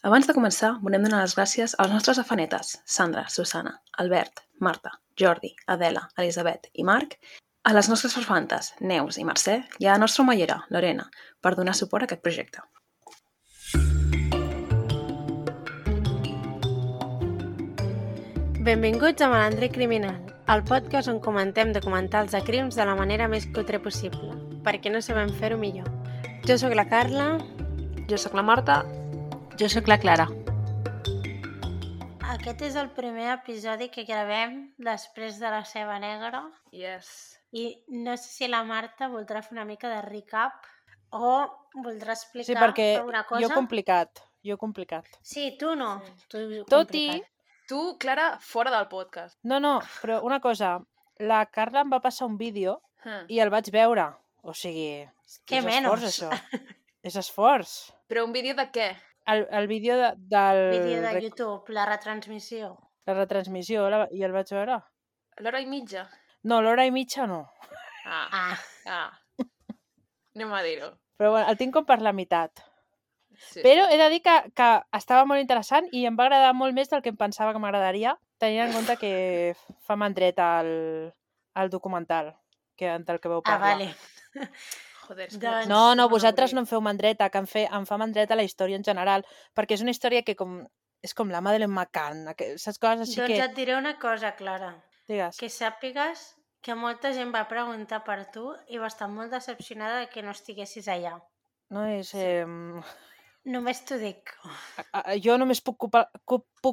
Abans de començar, volem donar les gràcies als nostres afanetes, Sandra, Susana, Albert, Marta, Jordi, Adela, Elisabet i Marc, a les nostres farfantes, Neus i Mercè, i a la nostra omellera, Lorena, per donar suport a aquest projecte. Benvinguts a Malandre Criminal, el podcast on comentem documentals de crims de la manera més cutre possible, perquè no sabem fer-ho millor. Jo sóc la Carla. Jo sóc la Marta. Jo sóc la Clara. Aquest és el primer episodi que gravem després de la Ceba Negra. Yes. I no sé si la Marta voldrà fer una mica de recap o voldrà explicar Sí, perquè alguna cosa. jo he complicat. Sí, tu no. Sí. Tu Tot i... Tu, Clara, fora del podcast. No, però una cosa, la Carla em va passar un vídeo Huh. i el vaig veure. O sigui, Què és menys? esforç, això. És esforç. Però un vídeo de què? El vídeo del... Vídeo de YouTube, la retransmissió. La retransmissió, i el vaig veure. L'hora i mitja? No, l'hora i mitja no. Ah. Anem a dir-ho. Però bueno, el tinc com per la meitat. Sí, Però he de dir que estava molt interessant i em va agradar molt més del que em pensava que m'agradaria, tenint en compte que fa mandret al documental del que veu parlar. Vale. Joder, és Doncs- No, vosaltres no em feu mandreta, que em fa mandreta la història en general, perquè és una història que és com la Madeleine McCann, saps coses així Doncs que... et diré una cosa, Clara. Digues. Que sàpigues que molta gent va preguntar per tu i va estar molt decepcionada de que no estiguessis allà. No és... Només t'ho dic. Jo només puc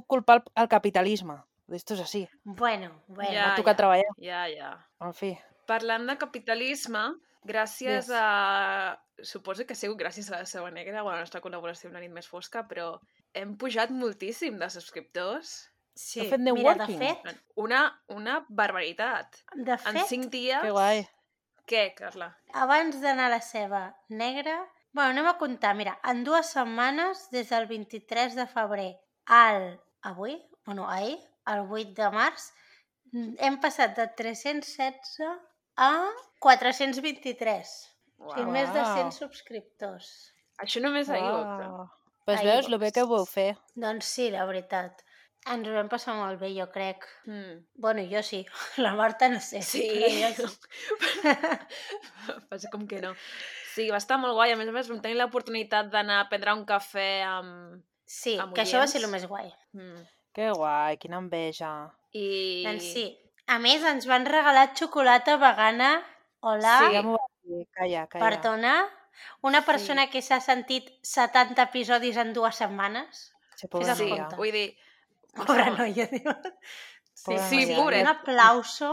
culpar el capitalisme. Esto és així. Bueno. M'ha tocat treballar. Ja. En fi. Parlant de capitalisme, gràcies Yes. a... Suposo que ha sigut gràcies a la Ceba Negra o a la nostra col·laboració amb la nit més fosca, però hem pujat moltíssim de subscriptors. Sí, Heu fet mira, networking? de fet, Una barbaritat. En 5 dies... Que guai. Què, Carla? abans d'anar a la Ceba Negra... Bueno, anem a comptar. Mira, en 2 setmanes, des del 23 de febrer al ahir, el 8 de març, hem passat de 316 a 423. O sigui, més de 100 subscriptors. Això només ahir, Uau. Pues Ahir, veus, lo bé que ho vau fer. Doncs sí, la veritat. Ens ho vam passar molt bé, jo crec. Mm. Bueno, jo sí. La Marta no sé. Sí. Però jo sí. Passa com que no. Sí, va estar molt guai. A més, vam tenir l'oportunitat d'anar a prendre un cafè amb... Sí, Amb que això va oients. ser el més guai. Mm. Que guai, quina enveja. I... Doncs sí. A més, ens van regalar xocolata vegana. Hola. Sí. Ja m'ho vas dir, calla. Perdona. Una persona que s'ha sentit 70 episodis en 2 setmanes. Sí, Fes-te Sí, compte. vull dir... Pobra noia, diu. Sí, Pobra Sí, noia. pobret. Un aplauso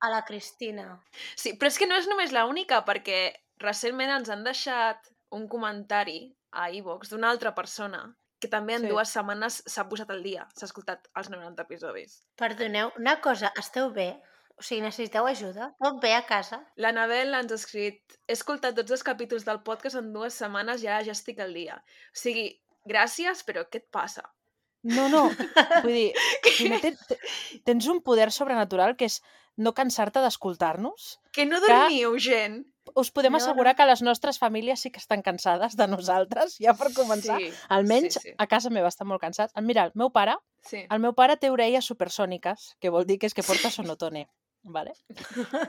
a la Cristina. Sí, però és que no és només l'única, perquè recentment ens han deixat un comentari a iVoox d'una altra persona que també en Sí. 2 setmanes s'ha posat al dia, s'ha escoltat els 90 episodis. Perdoneu, una cosa, esteu bé? O sigui, necessiteu ajuda? Tot bé a casa? L'Anabel ens ha escrit: he escoltat tots els capítols del podcast en 2 setmanes i ara ja estic al dia. O sigui, gràcies, però què et passa? No, vull dir, primer tens un poder sobrenatural que és no cansar-te d'escoltar-nos. Que no dormiu, gent! Us podem No, assegurar que les nostres famílies sí que estan cansades de nosaltres, ja per començar. Sí, Almenys sí. a casa meva estan molt cansats. Mira, el meu pare té orelles supersòniques, que vol dir que és que porta sonotone. Vale?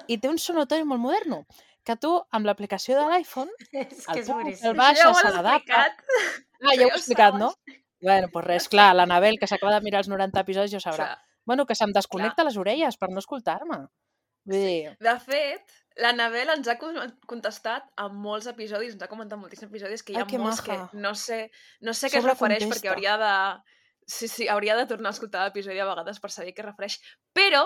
I té un sonotone molt moderno, que tu, amb l'aplicació de l'iPhone, És que el és puc, boníssim. el baixa, Ja ho se has l'adapta... explicat. Ah, ja ho he explicat, no? Bueno, doncs res, clar, l'Anabel, que s'acaba de mirar els 90 episodis, ja ho sabrà. Clar. Bueno, que se'm desconnecta les orelles per no escoltar-me. Vull dir... De fet, l'Anabel ens ha contestat a molts episodis, ens ha comentat moltíssims episodis que hi ha Ai, que molts que maja. no sé què es refereix Sobrecontesta. perquè hauria de... Sí, hauria de tornar a escoltar l'episodi a vegades per saber què es refereix. Però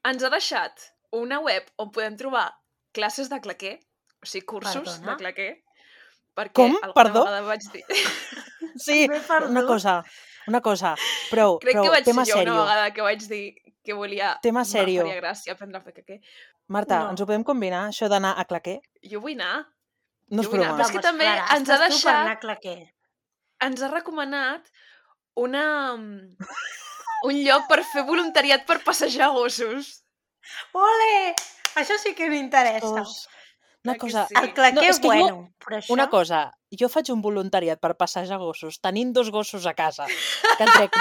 ens ha deixat una web on podem trobar classes de claquer, o sigui, cursos Perdona? de claquer. Perquè Com? alguna Perdó? vegada vaig dir... Sí, M'he perdut. una cosa. Prou, Crec que vaig tema ser jo sèrio. una vegada que vaig dir que volia... Tema sèrio. Em faria gràcia aprendre a fer claquer. Marta, No. ens ho podem combinar, això d'anar a claquer? Jo vull anar. No és Jo vull anar, broma. però és que també ens ha estàs tu per deixat... anar a claquer. Ens ha recomanat un lloc per fer voluntariat per passejar gossos. Ole! Això sí que m'interessa. Una cosa... El claquer és bueno, però això... Una cosa, jo faig un voluntariat per passejar gossos, tenint 2 gossos a casa, que trec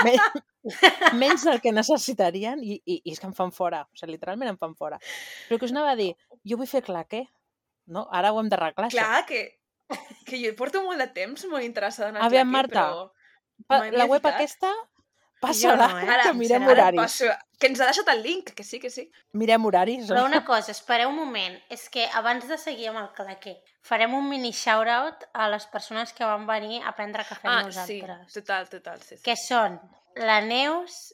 menys del que necessitarien i és que em fan fora, o sigui, literalment em fan fora. Però que us anava a dir, jo vull fer claquer, no? Ara ho hem d'arreglar, això. Clar, que jo porto molt de temps molt interessada en el Aviam, claquer, Marta, però... la web aquesta, passa-la, no, que mirem Ara horaris. passo... Que ens ha deixat el link, que sí, que sí. Mirem horaris. Però una cosa, espereu un moment, és que abans de seguir amb el claquer, farem un mini shout-out a les persones que van venir a prendre cafè amb nosaltres. Sí, total, sí. Que són la Neus,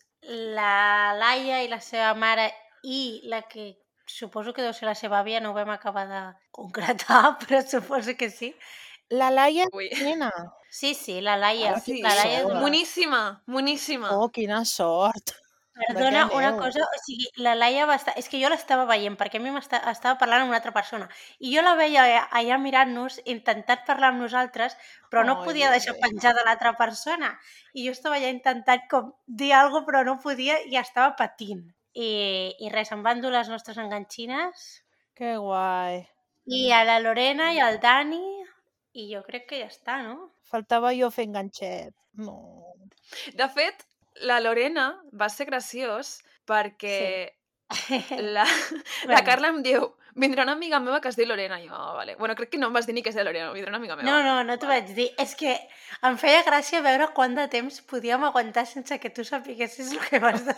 la Laia i la seva mare i la que suposo que deu ser la seva àvia, no ho vam acabar de concretar, però suposo que sí. La Laia Ui. nena. Sí, la Laia. Sí, la Laia és moníssima. Oh, quina sort. Perdona, una cosa, o sigui, la Laia va estar... És que jo l'estava veient, perquè a mi estava parlant amb una altra persona. I jo la veia allà mirant-nos, intentant parlar amb nosaltres, però no podia deixar penjada l'altra persona. I jo estava allà intentant com dir alguna cosa, però no podia i estava patint. I res, em van dur les nostres enganxines. Que guai. I a la Lorena i al Dani, i jo crec que ja està, no? Faltava jo fer enganxet. No. De fet, la Lorena va ser graciós perquè la Carla em diu vindrà una amiga meva que es diu Lorena. I jo, vale. Bueno, crec que no em vas dir ni que es diu Lorena, vindrà una amiga meva. No t'ho vaig dir. És que em feia gràcia veure quant de temps podíem aguantar sense que tu sapiguessis el que vas dir.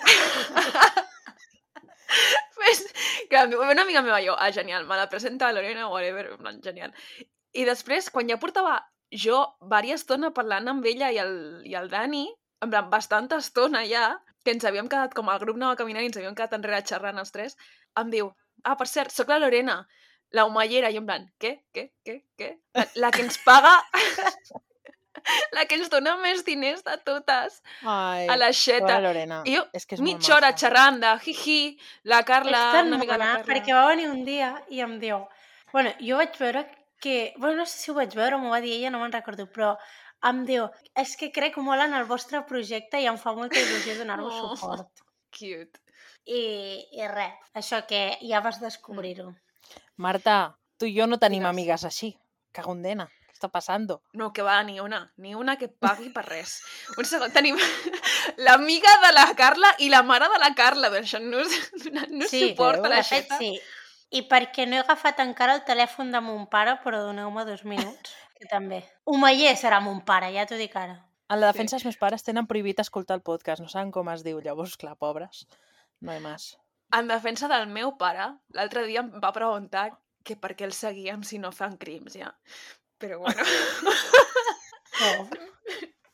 Pues, que una amiga meva, jo, genial, me la presenta a Lorena, whatever, genial. I després, quan ja portava jo diversa estona parlant amb ella i el Dani, en plan, bastanta estona ja, que ens havíem quedat, com el grup anava caminant i ens havíem quedat enrere xerrant els 3, em diu, per cert, soc la Lorena, la humallera, i en plan, què? La que ens paga, la que ens dona més diners de totes, a la xeta. Lorena. I jo, és que és mitja hora xerrant de jiji, la Carla, una amiga de la Carla. Perquè va venir un dia i em diu, bueno, jo vaig veure que, bueno, no sé si ho vaig veure o m'ho va dir ella, no me'n recordo, però em diu, és que crec molt en el vostre projecte i em fa molta il·lusió donar-vos suport. Cute. I res, això que ja vas descobrir-ho. Marta, tu i jo no tenim amigues així. Cagondena, què està passant? No, que va, ni una que pagui per res. Un segon, tenim l'amiga de la Carla i la mare de la Carla, donant-nos suport a la xeta. Sí, i perquè no he agafat encara el telèfon de mon pare, però doneu-me 2 minuts, que també. Humeller serà mon pare, ja t'ho dic ara. En la defensa els meus pares tenen prohibit escoltar el podcast, no saben com es diu, llavors, clar, pobres, no hi més. En defensa del meu pare, l'altre dia em va preguntar que per què el seguíem si no fan crims, ja. Però bueno...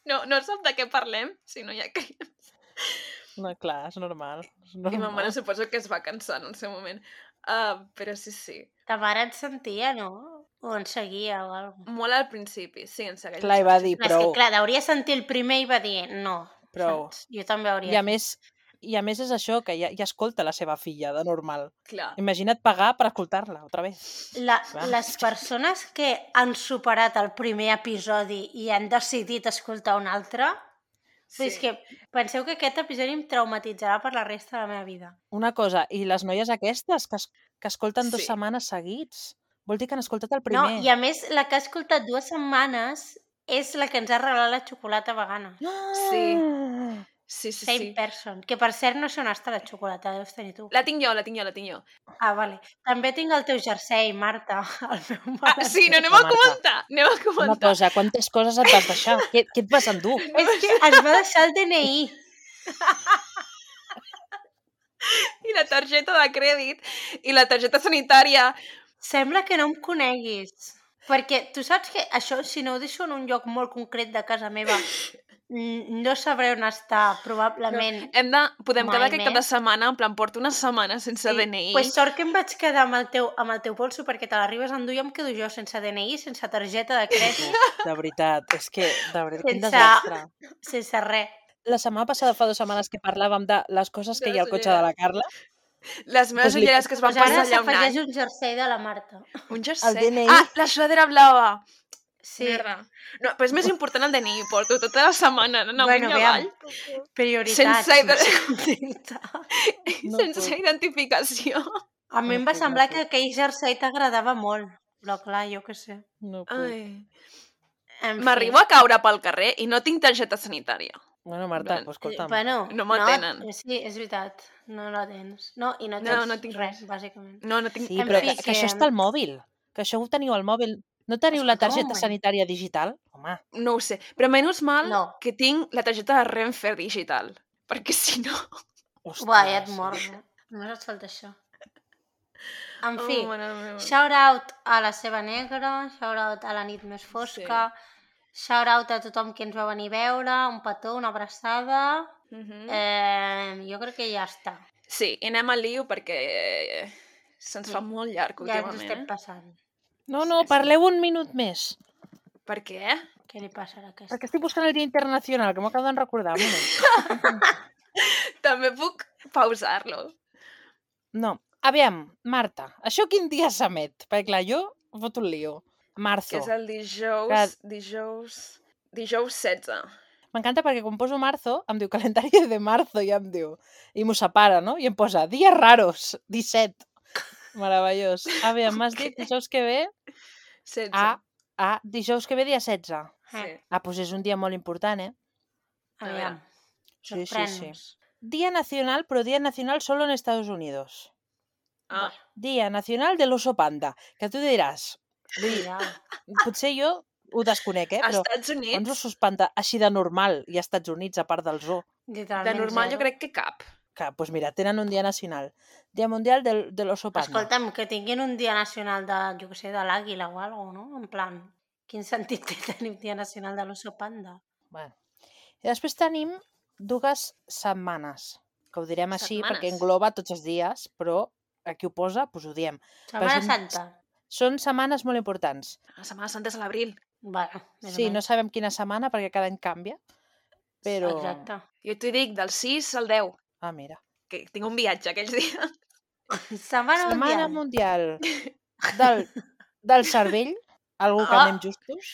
No sap de què parlem si no hi ha crims. No, clar, és normal. I ma mare suposo que es va cansar en el seu moment. Però sí. Ta mare et sentia, no? O en seguia o alguna cosa? Molt al principi, sí, en segueix. Clar, i va dir, prou. És que, clar, hauria sentit el primer i va dir, no. Prou. Saps? Jo també hauria. I a més és això, que ja escolta la seva filla, de normal. Clar. Imagina't pagar per escoltar-la, otra vez. Les persones que han superat el primer episodi i han decidit escoltar un altre... Sí. És que penseu que aquest episodi em traumatitzarà per la resta de la meva vida. Una cosa, i les noies aquestes que escolten 2 setmanes seguits? Vol dir que han escoltat el primer. No, i a més, la que ha escoltat 2 setmanes és la que ens ha regalat la xocolata vegana. Sí. Same person. Que per cert no sé on està la xocolata, deus tenir tu. La tinc jo. Ah, vale. També tinc el teu jersei, Marta. El meu mare. Sí, no, anem a comentar. Una cosa, quantes coses et vas deixar? Què et vas endur? És que ens va deixar el DNI. I la targeta de crèdit i la targeta sanitària. Sembla que no em coneguis. Perquè tu saps que això, si no ho deixo en un lloc molt concret de casa meva, no sabré on està, probablement. Podem quedar aquest cap de setmana, en plan, porto una setmana sense DNI. Pues sort que em vaig quedar amb el teu bolso perquè te l'arribes a endur i em quedo jo sense DNI, sense targeta de crèdit. De veritat, és que, quin desastre. Sense res. La setmana passada, fa 2 setmanes que parlàvem de les coses que hi ha al cotxe de la Carla. Les meves ulleres que es van passar allà un any. Ara s'afegeix un jersei de la Marta. Un jersei? El DNI. La sudadera blava. Sí. No, però és més important el DNI, porto tota la setmana anant amunt i avall. Prioritats. Sense identificació. A mi em va semblar que aquell jersei t'agradava molt. Però clar, jo què sé. No puc. Ai. En fi. M'arribo a caure pel carrer i no tinc targeta sanitària. Bueno, Marta, Bueno, escolta'm. Bueno, No m'atenen. sí, és veritat. No la tens. No, i no No, tens no tinc res, res. bàsicament. No tinc Sí, En però fi, que això està al mòbil. Que això ho teniu al mòbil. No teniu la Escolta'm un targeta moment. sanitària digital? Home, No ho sé. Però menys mal No. que tinc la targeta de Renfe digital. Perquè si no... hòstia. Buah, ja et sí. mors, eh? Només et falta això. En Oh, fi, mare meva. shout out a la Seva Negra, shout out a la nit més fosca, shout out a tothom que ens va venir a veure, un petó, una abraçada. Jo crec que ja està. Sí, i anem al lío perquè se'ns fa molt llarg Ja ens últimament. estem passant. No, parleu un minut més. Per què? Què li passa a aquesta? Perquè estic buscant el Dia Internacional, que m'ho acabo de recordar. Un moment. També puc pausar-lo. No. Aviam, Marta, això quin dia s'emet? Perquè clar, jo foto un lío. Marzo. Que és el dijous... Que- Dijous 16. M'encanta perquè quan poso marzo, em diu calendari de marzo i em diu... I m'ho separa, no? I em posa dies raros, 17. Meravellós. Aviam, m'has dit dijous que ve 16. dijous que ve dia 16. Sí. Doncs és un dia molt important, eh? Aviam, Sí. sorprèn-nos. Día nacional, però Día nacional solo en Estados Unidos. Ah, Día nacional de l'oso panda. Que tu diràs, vull dir, potser jo ho desconec, a però Estats quants Units, ossos panda així de normal i a Estats Units, a part del zoo? de normal jo crec que cap. Que, doncs mira, tenen un dia nacional. Dia mundial de l'oso panda. Escolta'm, que tinguin un dia nacional de, jo què sé, de l'àguila o alguna cosa, no? En plan, quin sentit té tenir un dia nacional de l'oso panda? Bueno. I després tenim dues setmanes, que ho direm així Setmanes. perquè engloba tots els dies, però aquí ho posa, doncs ho diem. Setmana són- Santa. Són setmanes molt importants. La Setmana Santa és a l'abril. Bueno, més Sí, o no menys. sabem quina setmana perquè cada any canvia, però... Exacte. Jo t'ho dic, del 6 al 10, Ah, mira. que tinc un viatge aquells dies. Setmana Setmana mundial. mundial del cervell, algú que anem justos,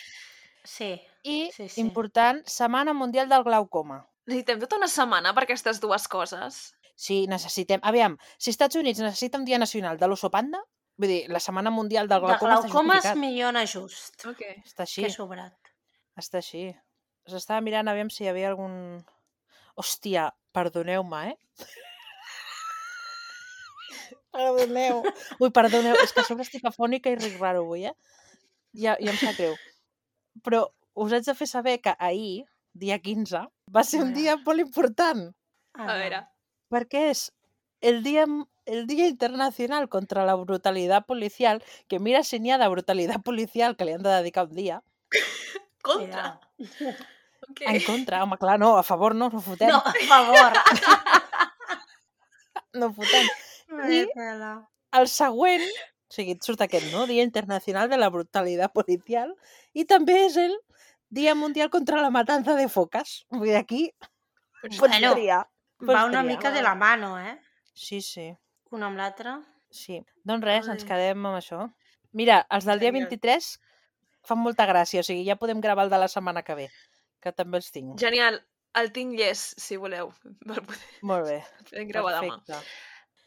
Sí. i, Sí, sí. important, setmana mundial del glaucoma. Necessitem tota una setmana per aquestes dues coses. Sí, necessitem... Aviam, si Estats Units necessita un dia nacional de l'oso panda, vull dir, la setmana mundial del De glaucoma està glaucoma és justificat. millor just. Ok. Està així, Que sobrat. està així. S'estava mirant aviam si hi havia algun... Hòstia, perdoneu-me, eh? Perdoneu. Ui, perdoneu, és que a sobre estic afònica i ric raro avui, eh? Ja em sap greu. Però us haig de fer saber que ahir, dia 15, va ser un dia molt important, A veure. perquè és el Día Internacional contra la Brutalidad Policial, que mira si n'hi ha de brutalitat policial que li han de dedicar un dia. Contra. Ok. En contra, home, clar, no, a favor no fotem. No, a favor. No fotem. I Tela. el següent, o sigui, et surt aquest, no? Dia Internacional de la Brutalidad Policial, i també és el Dia Mundial contra la Matanza de Foques. Vull dir, aquí pots Bueno, triar. Va una triar. mica de la mano, eh? Sí, sí. Un amb l'altre. Sí, doncs res, ens Ai. quedem amb això. Mira, els del dia Genial. 23 fan molta gràcia, o sigui, ja podem gravar el de la setmana que ve, que també els tinc. Genial. El tinc llest, si voleu. Per poder Molt bé, gravar demà. perfecte.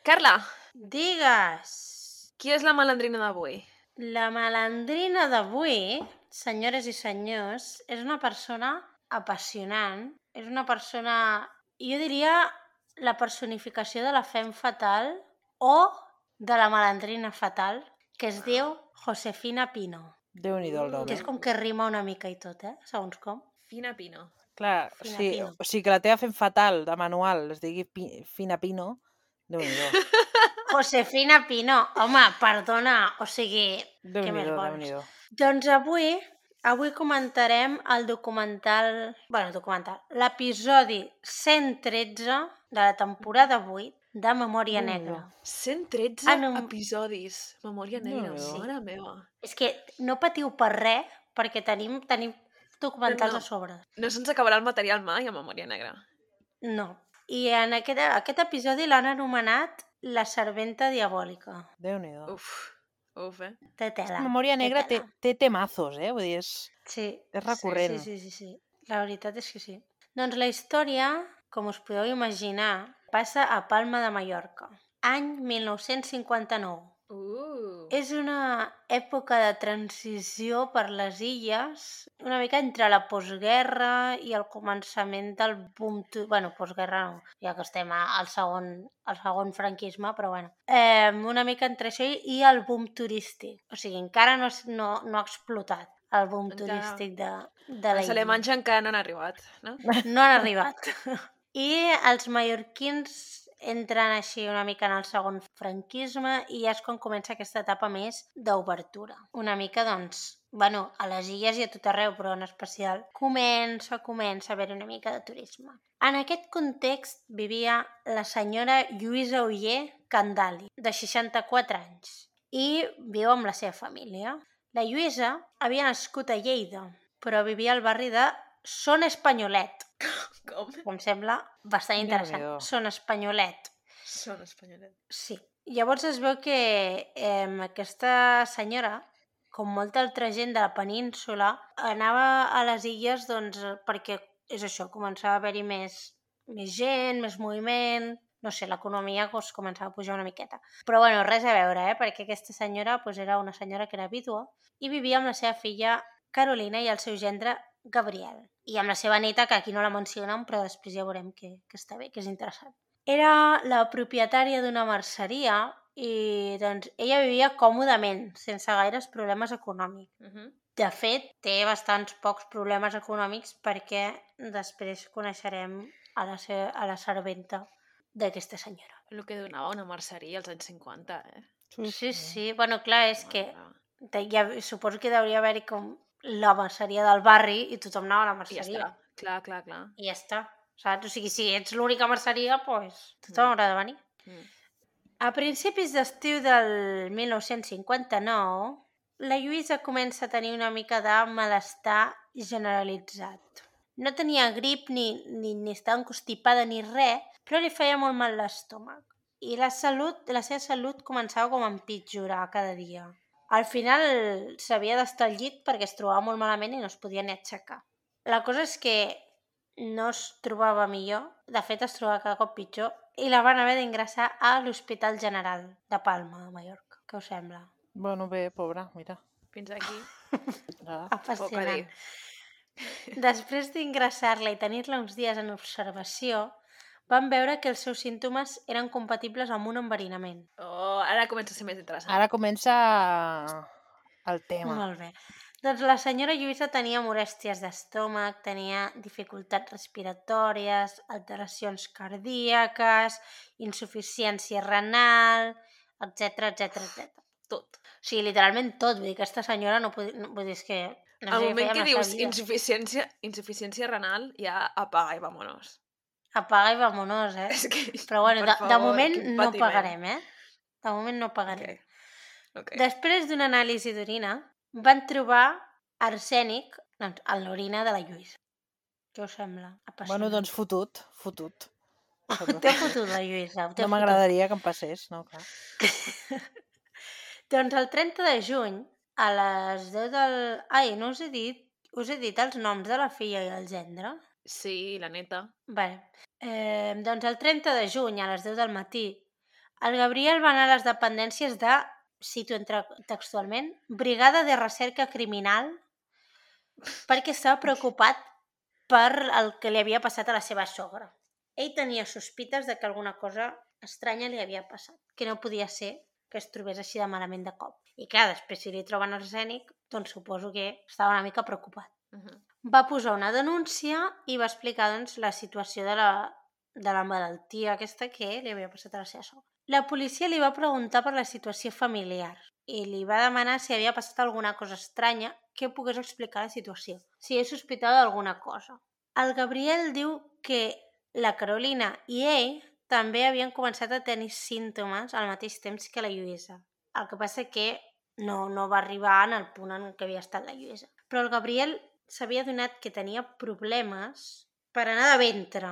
Carla, Digues. qui és la malandrina d'avui? La malandrina d'avui, senyores i senyors, és una persona apassionant. És una persona, jo diria, la personificació de la femme fatal o de la malandrina fatal, que es diu Josefina Pino. Déu-n'hi-do el nom. Que és com que rima una mica i tot, segons com. Fina Pino. Clar, Fina sí, Pino. o sigui, que la teva fent fatal de manual es digui Fina Pino, Déu-n'hi-do. Josefina Pino, home, perdona, o sigui, què més Déu-n'hi-do, vols? Déu-n'hi-do. Doncs avui comentarem el documental, l'episodi 113 de la temporada 8 de Memòria Déu-n'hi-do. Negra. 113 Ah, no. episodis. Memòria negra. Sí. Mare meva. És que no patiu per res, perquè tenim documentals No. a sobre. No se'ns acabarà el material mai a Memòria negra. No. I en aquest episodi l'han anomenat La serventa diabòlica. Déu-n'hi-do. Uf, Té tela. Memòria té Negra tela. té temazos, vull dir, Sí. és recurrent. Sí. La veritat és que sí. Doncs la història, com us podeu imaginar, passa a Palma de Mallorca. Any 1959. És una època de transició per les illes, una mica entre la postguerra i el començament del boom... Bueno, postguerra no, ja que estem al segon franquisme, però bueno. Una mica entre això i el boom turístic. O sigui, encara no ha explotat el boom turístic de la Els illa. alemanys encara no han arribat, no? No han arribat. I els mallorquins entren així una mica en el segon franquisme i ja és quan comença aquesta etapa més d'obertura. Una mica, doncs, bueno, a les illes i a tot arreu, però en especial comença a haver una mica de turisme. En aquest context vivia la senyora Lluïsa Oller Candali, de 64 anys, i viu amb la seva família. La Lluïsa havia nascut a Lleida, però vivia al barri de Son Espanyolet. Com? Em sembla bastant interessant. Déu-n'hi-do. Son Espanyolet. Són espanyolet. Sí. Llavors es veu que aquesta senyora, com molta altra gent de la península, anava a les illes doncs, perquè és això, començava a haver-hi més gent, més moviment, no sé, l'economia doncs, començava a pujar una miqueta. Però bueno, res a veure, perquè aquesta senyora doncs, era una senyora que era vídua i vivia amb la seva filla Carolina i el seu gendre Gabriel. I amb la seva neta, que aquí no la mencionen, però després ja veurem que està bé, que és interessant. Era la propietària d'una merceria i doncs, ella vivia còmodament, sense gaires problemes econòmics. De fet, té bastants pocs problemes econòmics perquè després coneixerem a la serventa d'aquesta senyora. El que donava una merceria als anys 50, Sí. Bueno, clar, és que ja, suposo que hauria haver-hi com la merceria del barri i tothom anava a la I ja merceria. està. Clar. I ja està. Saps? O sigui, si ets l'única merceria, doncs tothom haurà de venir. A principis d'estiu del 1959, la Lluïsa comença a tenir una mica de malestar generalitzat. No tenia grip ni estava encostipada ni res, però li feia molt mal l'estómac. I la seva salut començava com a empitjorar cada dia. Al final s'havia d'estar al llit perquè es trobava molt malament i no es podia ni aixecar. La cosa és que no es trobava millor, de fet es trobava cada cop pitjor, i la van haver d'ingressar a l'Hospital General de Palma, de Mallorca. Què us sembla? Bueno, bé, pobra, mira. Fins aquí. Apassionant. Després d'ingressar-la i tenir-la uns dies en observació, van veure que els seus símptomes eren compatibles amb un enverinament. Oh, ara comença a ser més interessant. Ara comença el tema. Molt bé. Doncs la senyora Lluïsa tenia molèsties d'estómac, tenia dificultats respiratòries, alteracions cardíaques, insuficiència renal, etc. Tot. O sigui, literalment tot. Vull dir, aquesta senyora no podia... Vull dir, és que... No Al sé, moment que feia dius massa insuficiència renal, ja apaga i vámonos. apaga i vámonos, És que, Però bueno, per de favor, moment quin no patiment. pagarem, De moment no pagarem. Okay. Després d'una anàlisi d'orina, van trobar arsènic en l'orina de la Lluïsa. Què us sembla? Apassionant. Bueno, doncs fotut. T'he fotut la Lluïsa. No m'agradaria que em passés, no, clar. Doncs el 30 de juny, a les 10 del... Ai, no us he dit els noms de la filla i el gendre? Sí, la neta. Vale. Doncs el 30 de juny, a les 10 del matí, el Gabriel va anar a les dependències de, cito textualment, Brigada de Recerca Criminal, perquè estava preocupat per el que li havia passat a la seva sogra. Ell tenia sospites de que alguna cosa estranya li havia passat, que no podia ser que es trobés així de malament de cop. I clar, després si li troben arsènic, doncs suposo que estava una mica preocupat. Va posar una denúncia i va explicar doncs, la situació de la malaltia aquesta que li havia passat a la seva sogra. La policia li va preguntar per la situació familiar i li va demanar si havia passat alguna cosa estranya que pogués explicar la situació, si ell sospitava d'alguna cosa. El Gabriel diu que la Carolina i ell també havien començat a tenir símptomes al mateix temps que la Lluïsa. El que passa que no va arribar en el punt en què havia estat la Lluïsa. Però el Gabriel s'havia adonat que tenia problemes per anar de ventre.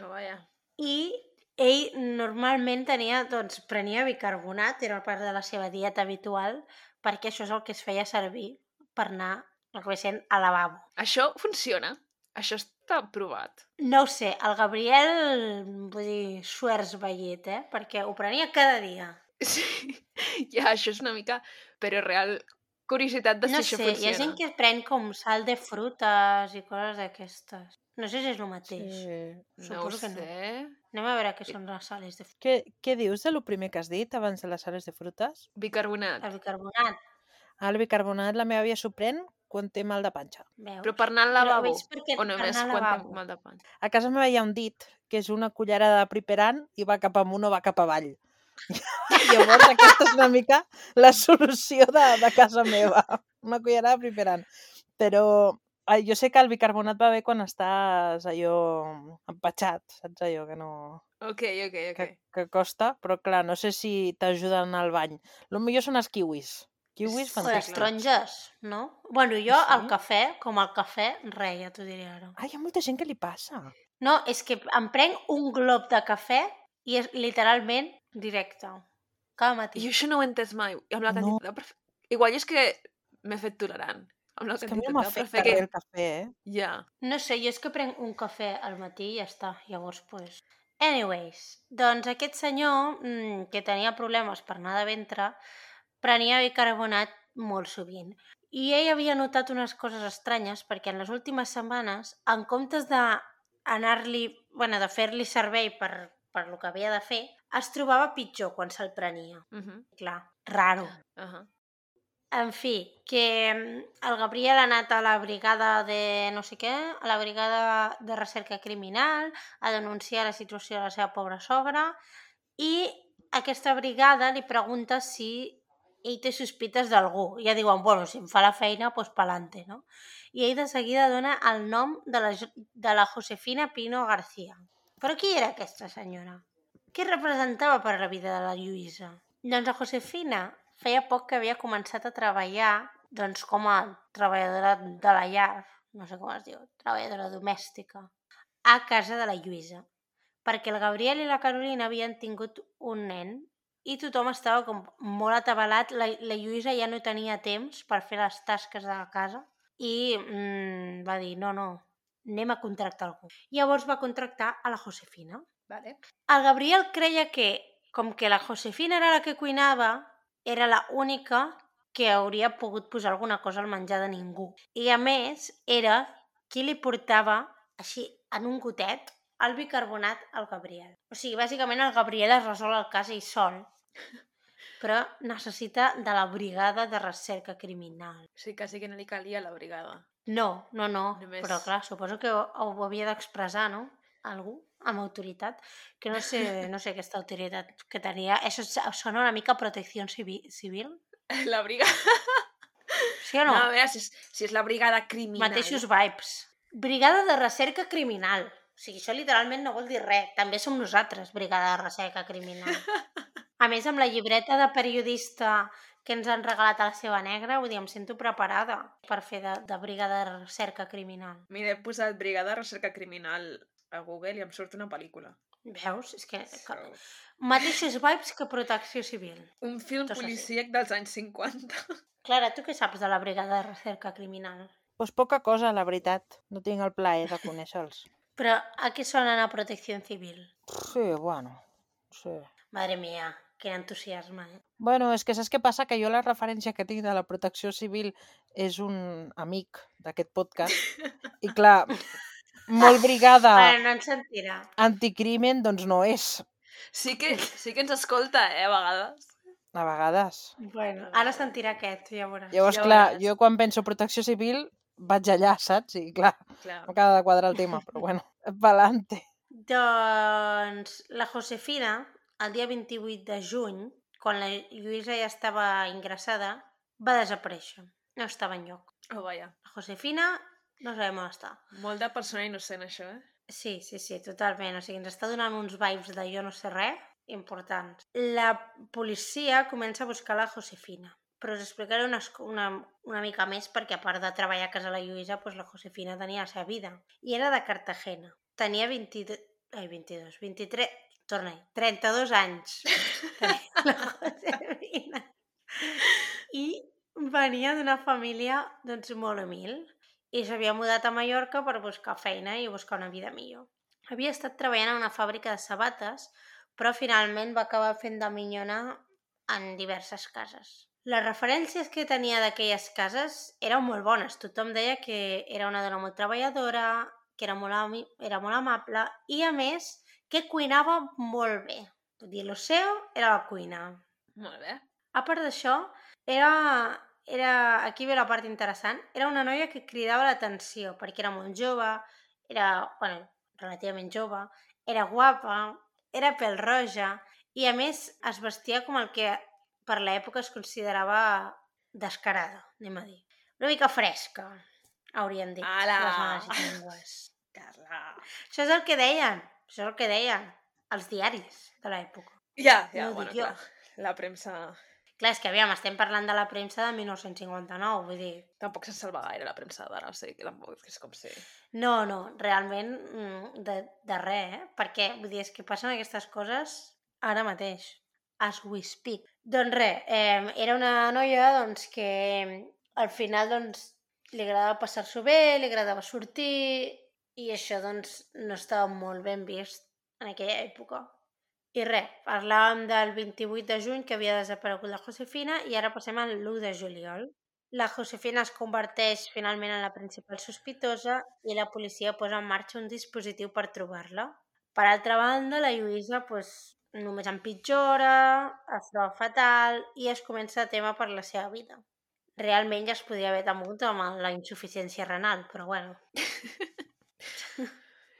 Oh, vaja. I ell normalment prenia bicarbonat, era part de la seva dieta habitual, perquè això és el que es feia servir per anar al lavabo. Això funciona? Això està provat? No ho sé, el Gabriel, vull dir, suers vellet, perquè ho prenia cada dia. Sí, ja, això és una mica... Però real curiositat de si No això sé, hi ha gent funciona. que pren com sal de frutes i coses d'aquestes. No sé si és el mateix. Sí. No ho Suposo que no. sé. Anem a veure què són les sales de frutes. Què dius de lo primer que has dit abans de les sales de frutes? Bicarbonat. El bicarbonat, El bicarbonat la meva àvia s'ho pren quan té mal de panxa. veus? Però per anar al Però lavabo? veig perquè O per només anar al quan lavabo. tinc mal de panxa? A casa meva hi ha un dit, que és una cullerada de priperan i va cap amunt o va cap avall. Llavors aquesta és una mica la solució de casa meva. Una cullerada de priperan. Però jo sé que el bicarbonat va bé quan estàs allò empatxat, saps allò que no... Ok. Que costa, però clar, no sé si t'ajuden al bany. Lo millor són els kiwis. Kiwis Sí, O les fantàstics. clar. taronges, no? Bueno, jo Sí? el cafè, com el cafè, res, ja t'ho diré ara. Ai, hi ha molta gent que li passa. No, és que em prenc un glob de cafè i és literalment directe. Cada matí. Jo això no ho he entès mai. Amb la No. quantitat de cafè... Igual és que m'he fet tolerant. Amb la És que a mi no quantitat de m'afecta cafè que... res el cafè, Ja. No sé, jo és que prenc un cafè al matí i ja està. Llavors, pues... Anyways, doncs aquest senyor, que tenia problemes per anar de ventre, prenia bicarbonat molt sovint. I ell havia notat unes coses estranyes perquè en les últimes setmanes, en comptes de fer-li servei per lo que havia de fer, es trobava pitjor quan se'l prenia. Clar, raro. En fi, que el Gabriel ha anat a la brigada de no sé què, a la brigada de recerca criminal, a denunciar la situació de la seva pobra sogra, i aquesta brigada li pregunta si ell té sospites d'algú. I ja diuen, bueno, si em fa la feina, doncs pa'lante, no? I ell de seguida dona el nom de la Josefina Pino García. Però qui era aquesta senyora? Què representava per la vida de la Lluïsa? Doncs la Josefina feia poc que havia començat a treballar doncs, com a treballadora de la llar, no sé com es diu, treballadora domèstica, a casa de la Lluïsa, perquè el Gabriel i la Carolina havien tingut un nen i tothom estava com molt atabalat, la Lluïsa ja no tenia temps per fer les tasques de la casa i va dir, no, anem a contractar algú. Llavors va contractar a la Josefina. Vale. El Gabriel creia que, com que la Josefina era la que cuinava, era la única que hauria pogut posar alguna cosa al menjar de ningú. I a més, era qui li portava, així, en un gotet, el bicarbonat al Gabriel. O sigui, bàsicament el Gabriel es resol el cas ell sol, però necessita de la brigada de recerca criminal. Sí, quasi que no li calia la brigada. No, Només... però clar, suposo que ho havia d'expressar, no? Algú amb autoritat, que no sé aquesta autoritat que tenia. Això sona una mica a protecció civil. La brigada... Sí o no? No, a veure, si és la brigada criminal... Mateixos vibes. Brigada de recerca criminal. O sigui, això literalment no vol dir res. També som nosaltres, brigada de recerca criminal. A més, amb la llibreta de periodista que ens han regalat a la seva negra, vull dir, em sento preparada per fer de brigada de recerca criminal. Mira, he posat brigada de recerca criminal a Google i em surt una pel·lícula. Veus? És que... Mateixos vibes que protecció civil. Un film policíac dels anys 50. Clara, tu què saps de la brigada de recerca criminal? Pues poca cosa, la veritat. No tinc el plaer de conèixer-los. Però a què sonen a protecció civil? Sí, bueno, sí. Madre mía, quin entusiasme, Bueno, és que saps què passa? Que jo la referència que tinc de la protecció civil és un amic d'aquest podcast. I clar, molt brigada no ens sentirà. anticrimen, doncs no és. Sí que ens escolta, a vegades. A vegades. Bueno, ara sentirà aquest, ja veuràs. Llavors, Ja clar, veuràs. jo quan penso protecció civil vaig allà, saps? I clar, m'acaba de quadrar el tema, però bueno, pa'lante. Doncs la Josefina, el dia 28 de juny, quan la Lluïsa ja estava ingressada, va desaparèixer. No estava enlloc. Oh, vaja. La Josefina no sabem on està. Molt de persona innocent, això, Sí, totalment. O sigui, ens està donant uns vibes de jo no sé res importants. La policia comença a buscar la Josefina, però us explicaré una mica més perquè a part de treballar a casa de la Lluïsa, doncs la Josefina tenia la seva vida. I era de Cartagena. Tenia 32 anys. Tenia la Josefina. I venia d'una família doncs, molt humil i s'havia mudat a Mallorca per buscar feina i buscar una vida millor. Havia estat treballant a una fàbrica de sabates, però finalment va acabar fent de minyona en diverses cases. Les referències que tenia d'aquelles cases eren molt bones. Tothom deia que era una dona molt treballadora, que era molt amable i, a més, que cuinava molt bé. Vull dir, lo seu era la cuina. Molt bé. A part d'això, aquí ve la part interessant, era una noia que cridava l'atenció perquè era molt jove, relativament jove, era guapa, era pèl-roja i, a més, es vestia com el que per l'època es considerava descarada, anem a dir. Una mica fresca, haurien dit Ala! les males llengües. Carla! Això és el que deien els diaris de l'època. Ja, No ho bueno, dic jo. clar. La premsa... Clar, és que, aviam, estem parlant de la premsa de 1959, vull dir... Tampoc se'n salva gaire la premsa d'ara, o sigui que tampoc és com si... No, realment de res, Perquè, vull dir, és que passen aquestes coses ara mateix, as we speak. Doncs res, era una noia doncs, que al final doncs, li agradava passar-s'ho bé, li agradava sortir, i això doncs, no estava molt ben vist en aquella època. I res, parlàvem del 28 de juny que havia desaparegut la Josefina i ara passem al 1 de juliol. La Josefina es converteix finalment en la principal sospitosa i la policia posa en marxa un dispositiu per trobar-la. Per altra banda, la Lluïsa només empitjora, es troba fatal i es comença a témer per la seva vida. Realment ja es podia haver temut amb la insuficiència renal, però bueno.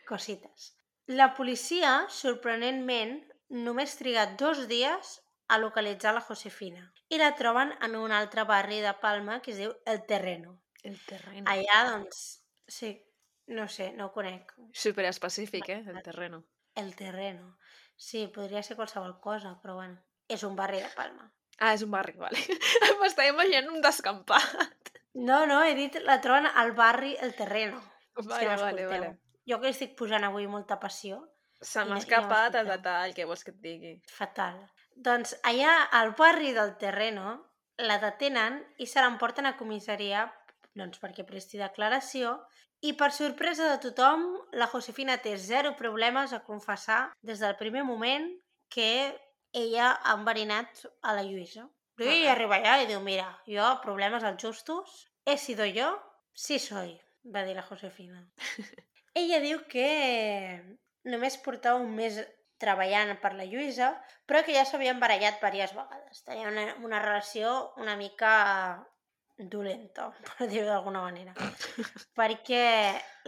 Cosites. La policia, sorprenentment, només triga 2 dies a localitzar la Josefina i la troben en un altre barri de Palma que es diu El Terreno. El terreno. Allà, doncs, sí, no sé, no ho conec. Superespecífic, el terreno. El Terreno. Sí, podria ser qualsevol cosa, però bueno, és un barri de Palma. Ah, és un barri, vale. M'estava imaginant un descampat. No, he dit la troben al barri El Terreno. Vale. Jo que estic posant avui molta passió. Se m'ha escapat el detall que vols que et digui. Fatal. Doncs allà al barri del Terreno la detenen i se l'emporten a comissaria perquè presti declaració i per sorpresa de tothom la Josefina té 0 problemes a confessar des del primer moment que ella ha enverinat a la Lluïsa. I ella arriba allà i diu, mira, jo problemes als justos, he sido yo, sí soy, va dir la Josefina. Ella diu que només portava un mes treballant per la Lluïsa, però que ja s'havien barallat diverses vegades. Tenia una relació una mica dolenta, per dir-ho d'alguna manera. Perquè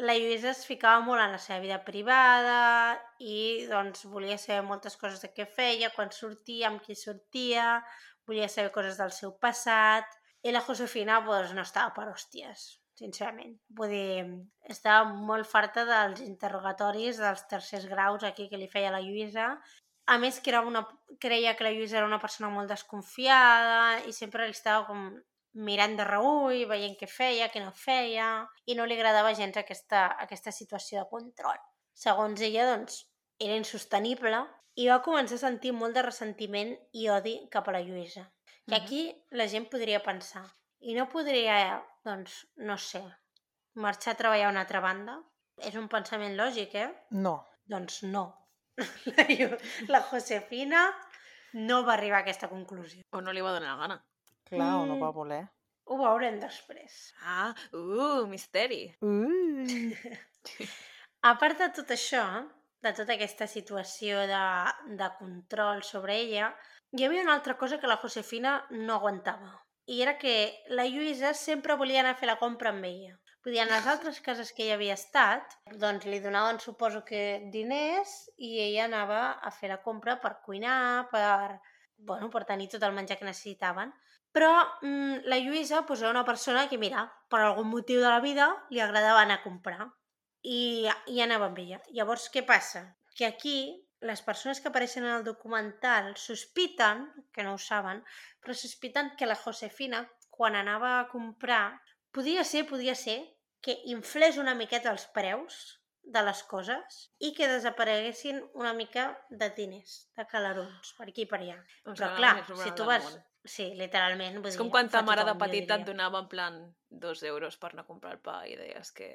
la Lluïsa es ficava molt en la seva vida privada i doncs volia saber moltes coses de què feia, quan sortia, amb qui sortia, volia saber coses del seu passat, i la Josefina no estava per hòsties, sincerament. Vull dir, estava molt farta dels interrogatoris dels tercers graus aquí que li feia la Lluïsa. A més, creia que la Lluïsa era una persona molt desconfiada i sempre li estava com mirant de reüll, veient què feia, què no feia, i no li agradava gens aquesta situació de control. Segons ella, doncs, era insostenible i va començar a sentir molt de ressentiment i odi cap a la Lluïsa. I aquí la gent podria pensar, i no podria, doncs, no sé, marxar a treballar a una altra banda? És un pensament lògic, No. Doncs no. La Josefina no va arribar a aquesta conclusió. O no li va donar la gana. Clar, o no va voler. Ho veurem després. Misteri. A part de tot això, de tota aquesta situació de control sobre ella, hi havia una altra cosa que la Josefina no aguantava. I era que la Lluïsa sempre volia anar a fer la compra amb ella. Vull dir, en les altres cases que hi havia estat, doncs li donaven, suposo que, diners i ella anava a fer la compra per cuinar, per tenir tot el menjar que necessitaven. Però la Lluïsa era una persona que, mira, per algun motiu de la vida li agradava anar a comprar i anava amb ella. Llavors, què passa? Que aquí les persones que apareixen en el documental sospiten, que no ho saben, però sospiten que la Josefina, quan anava a comprar, podia ser que inflés una miqueta els preus de les coses i que desapareguessin una mica de diners, de calarons, per aquí i per allà. Però clar, si tu vas... Sí, literalment. És com quan ta mare de petita et donava en plan 2 euros per anar a comprar el pa i deies que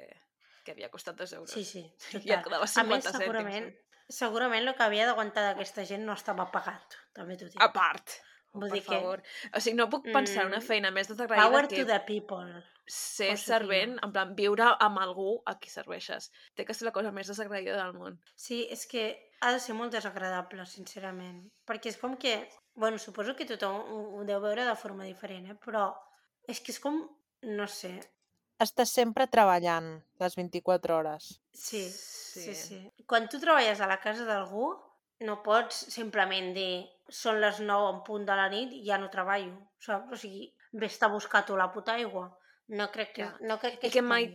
havia costat 2 euros. Sí, total. I et quedava 50 cèntims. Segurament el que havia d'aguantar d'aquesta gent no estava pagat, també t'ho dic. A part. Vull Per dir que favor. O sigui, no puc pensar en una feina més desagraïda power que to the people. ser Josefina. servent, en plan, viure amb algú a qui serveixes. Té que ser la cosa més desagraïda del món. Sí, és que ha de ser molt desagradable, sincerament. Perquè és com que... Bueno, suposo que tothom ho deu veure de forma diferent, però és que és com... No sé. Estàs sempre treballant les 24 hores. Sí. Quan tu treballes a la casa d'algú, no pots simplement dir són les 9 en punt de la nit i ja no treballo, saps? O sigui, vés-te a buscar tu la puta aigua. No crec que I es que pugui.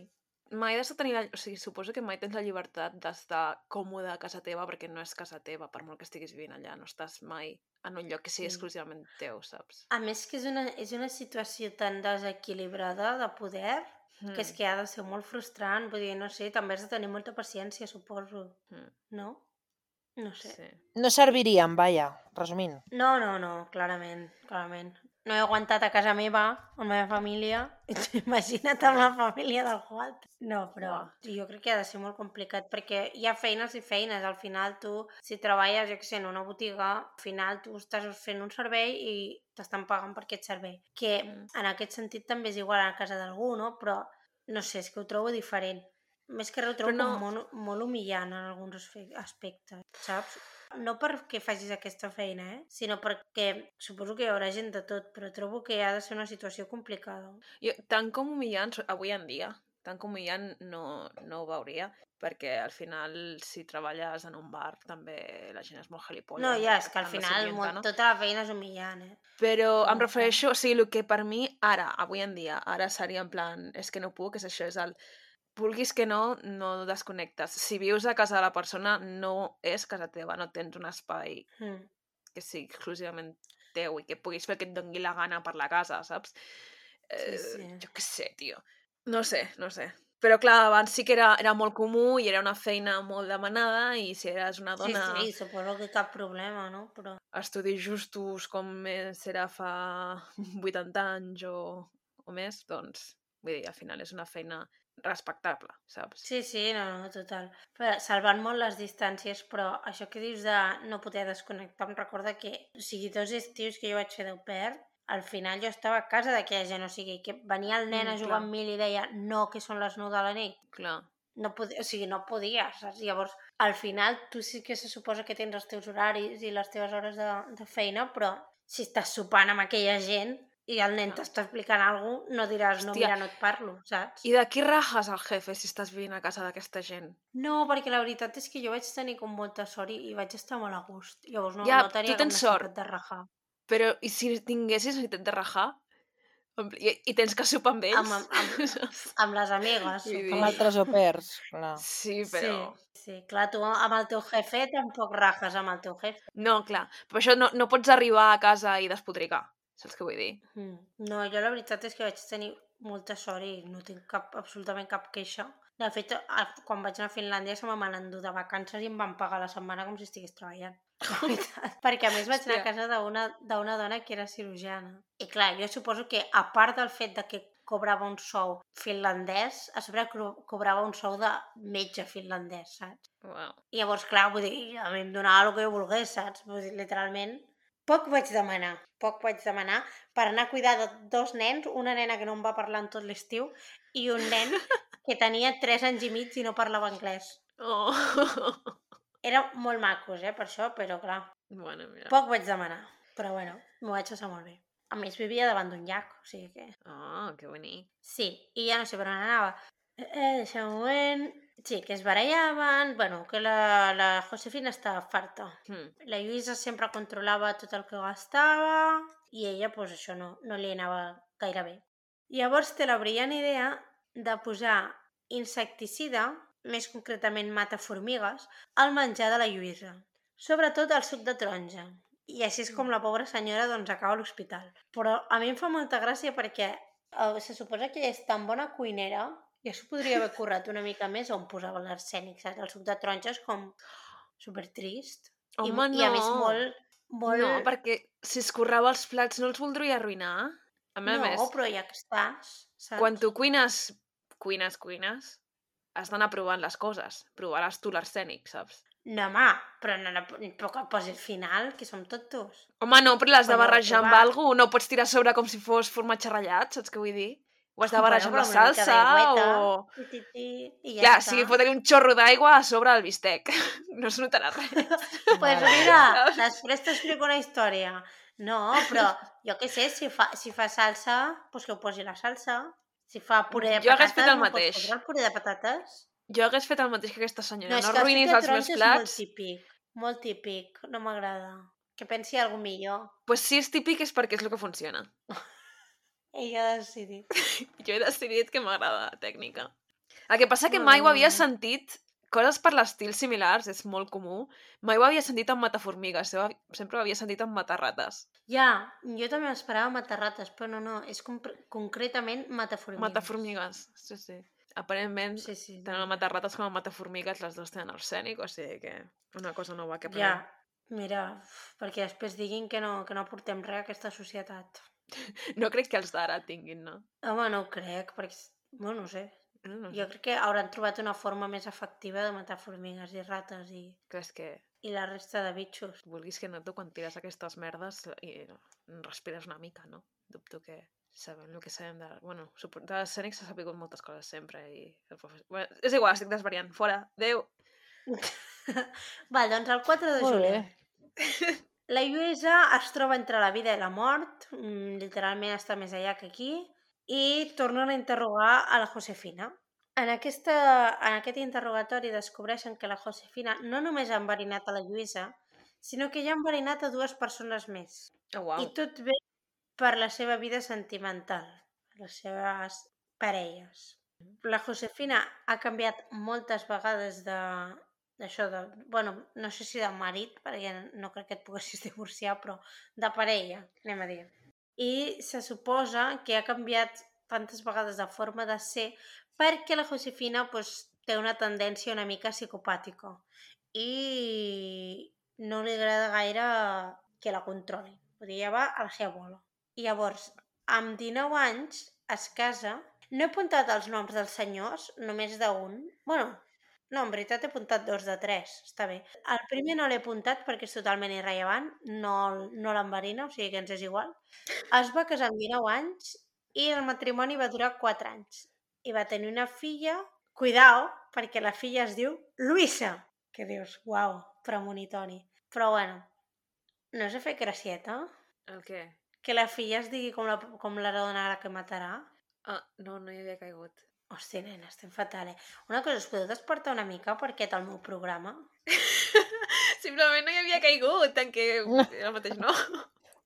mai has de tenir... O sigui, suposo que mai tens la llibertat d'estar còmode a casa teva perquè no és casa teva, per molt que estiguis vivint allà. No estàs mai en un lloc que sigui exclusivament teu, saps? A més que és una situació tan desequilibrada de poder que és que ha de ser molt frustrant. Vull dir, no sé, també has de tenir molta paciència, suposo. No? No sé. Sí. No serviríem, vaja, resumint. No, clarament. No he aguantat a casa meva, amb la meva família, imagina't amb la família d'algú altre. No, però jo crec que ha de ser molt complicat, perquè hi ha feines i feines. Al final tu, si treballes, jo què sé, en una botiga, al final tu estàs fent un servei i t'estan pagant per aquest servei. Que en aquest sentit també és igual a casa d'algú, no? Però, no sé, és que ho trobo diferent. Més que res ho trobo com molt humillant en alguns aspectes, saps? No perquè facis aquesta feina, sinó perquè suposo que hi haurà gent de tot, però trobo que ha de ser una situació complicada. Tant com humillant, avui en dia, tant com humillant no ho veuria, perquè al final, si treballes en un bar, també la gent és molt gilipolles. No, ja, és que al final tota la feina és humillant, Però em refereixo, o sigui, el que per mi ara, avui en dia, ara seria en plan, és que no puc, és això, és el... Vulguis que no desconnectes. Si vius a casa de la persona, no és casa teva, no tens un espai que sigui exclusivament teu i que puguis fer el que et doni la gana per la casa, saps? Jo què sé, tio. No sé. Però clar, abans sí que era molt comú i era una feina molt demanada i si eres una dona... Sí, suposo que cap problema, no? Però... Estudis justos com més era fa 80 anys o més, doncs, vull dir, al final és una feina respectable, saps? Sí, no, total. Però salvant molt les distàncies, però això que dius de no poder desconnectar, em recorda que, o sigui, 2 estius que jo vaig fer d'au pair, al final jo estava a casa d'aquella gent, o sigui, que venia el nen a jugar amb mi i li deia no, que són les 9 de la nit. Clar. No podia, o sigui, no podia, saps? Llavors, al final, tu sí que se suposa que tens els teus horaris i les teves hores de feina, però si estàs sopant amb aquella gent i el nen t'està explicant alguna cosa, no diràs, no, mira, no et parlo, saps? I de qui rajes el jefe si estàs vivint a casa d'aquesta gent? No, perquè la veritat és que jo vaig tenir com molta sort i vaig estar molt a gust. Llavors no tenia cap necessitat de rajar. Però i si tinguessis necessitat de rajar? I tens que sopar amb ells? Amb les amigues. Amb altres au pairs, clar. Sí, però... Sí, clar, tu amb el teu jefe tampoc rajes amb el teu jefe. No, clar, però això no pots arribar a casa i despotricar, saps què vull dir? No, jo la veritat és que vaig tenir molta sort i no tinc absolutament cap queixa. De fet, quan vaig anar a Finlàndia se me van endur de vacances i em van pagar la setmana com si estigués treballant. Perquè a més vaig anar a casa d'una dona que era cirurgiana. I clar, jo suposo que a part del fet de que cobrava un sou finlandès, a sobre cobrava un sou de metge finlandès, saps? Wow. I llavors, clar, vull dir, a mi em donava el que jo volgués, saps? Vull dir, literalment, poc vaig demanar per anar a cuidar de 2 nens, una nena que no em va parlar en tot l'estiu i un nen que tenia 3 anys i mig i no parlava anglès. Oh. Era molt macos, per això, però clar, Bueno, mira. poc vaig demanar, però bueno, m'ho vaig passar molt bé. A més, vivia davant d'un llac, o sigui que... Que bonic. Sí, i ja no sé per on anava. Deixa un moment... Sí, que es barallaven, bueno, que la Josefina estava farta. La Lluïsa sempre controlava tot el que gastava i ella, doncs això no li anava gaire bé. Llavors té la brillant idea de posar insecticida, més concretament mata formigues, al menjar de la Lluïsa. Sobretot el suc de taronja. I així és com la pobra senyora doncs acaba a l'hospital. Però a mi em fa molta gràcia perquè se suposa que ella és tan bona cuinera ja s'ho podria haver currat una mica més on posava l'arsènic, saps? El suc de taronja és com supertrist. Home, I a més molt... No, perquè si escorrava els plats no els voldria arruïnar. A més, però ja que estàs, saps? Quan tu cuines, has d'anar provant les coses. Provaràs tu l'arsènic, saps? No, home, però no que posi el final, que som tots dos. Home, no, però l'has de Quan ho barrejar amb va- alguna cosa, no pots tirar a sobre com si fos formatge ratllat, saps què vull dir? Ho has de barrejar amb Bueno, la però una mica salsa d'aigüeta, o... i ja Clar, està. sí, fotre un xorro d'aigua a sobre del bistec. No es notarà res. Pues Mare mira, meva. després t'explico una història. No, però jo què sé, si fa salsa, doncs que ho posi la salsa. Si fa puré de Jo hagués fet patates, el no pots mateix. fotre el puré de patates? Jo hagués fet el mateix que aquesta No, senyora. és No que el suc arruïnis de els meus taronja és molt plats. típic. Molt típic. No m'agrada. Que pensi algú millor. Pues si és típic és perquè és el que funciona. Ella ha decidit. Jo he decidit que m'agrada la tècnica. El que passa que Molt mai bé, ho havia molt bé. sentit, coses per l'estil similars, és molt comú, mai ho havia sentit amb mataformigues, sempre ho havia sentit amb matarrates. Ja, jo també m'esperava matarrates, però no, és concretament mataformigues. Mataformigues, sí, sí. Aparentment, Sí, sí. tant el matarrates com el mataformigues, les dues tenen arsènic, o sigui que una cosa nova que Ja, aprenem. mira, perquè després diguin que no aportem res a aquesta societat. No crec que els d'ara tinguin, no? Home, no ho crec, perquè, bueno, no sé. No Jo sé. crec que hauran trobat una forma més efectiva de matar formigues i rates Creus que i la resta de bitxos. vulguis que no, tu quan tires aquestes merdes i respires una mica, no? Dubto que sabem el que sabem de... Bueno, de l'escènic s'ha sabut moltes coses sempre i... Bueno, és igual, estic desvariant. Fora. Adéu. Val, doncs el 4 de Molt bé. juliol. La Lluïsa es troba entre la vida i la mort, literalment està més allà que aquí, i tornen a interrogar a la Josefina. En aquest interrogatori descobreixen que la Josefina no només ha enverinat a la Lluïsa, sinó que ja ha enverinat a 2 persones més. Oh, uau. I tot ve per la seva vida sentimental, les seves parelles. La Josefina ha canviat moltes vegades bueno, no sé si de marit, perquè no crec que et poguessis divorciar, però de parella, anem a dir. I se suposa que ha canviat tantes vegades de forma de ser perquè la Josefina té una tendència una mica psicopàtica i no li agrada gaire que la controli. Vull dir, ja va a la seva bola. I llavors, amb 19 anys, es casa. No he apuntat els noms dels senyors, només d'un. Bueno, no, en veritat he apuntat 2 de 3, està bé. El primer no l'he apuntat perquè és totalment irrellevant, no l'enverina, o sigui que ens és igual. Es va casar amb 19 anys i el matrimoni va durar 4 anys. I va tenir una filla, cuidao, perquè la filla es diu Luisa, que dius, uau, premonitori. Però bueno, no us ha fet gracieta? El què? Que la filla es digui com la dona que matarà? Ah, no hi havia caigut. Hòstia, nena, estem fatal, Una cosa, us podeu despertar una mica per aquest el meu programa? Simplement no hi havia caigut, en què el mateix no.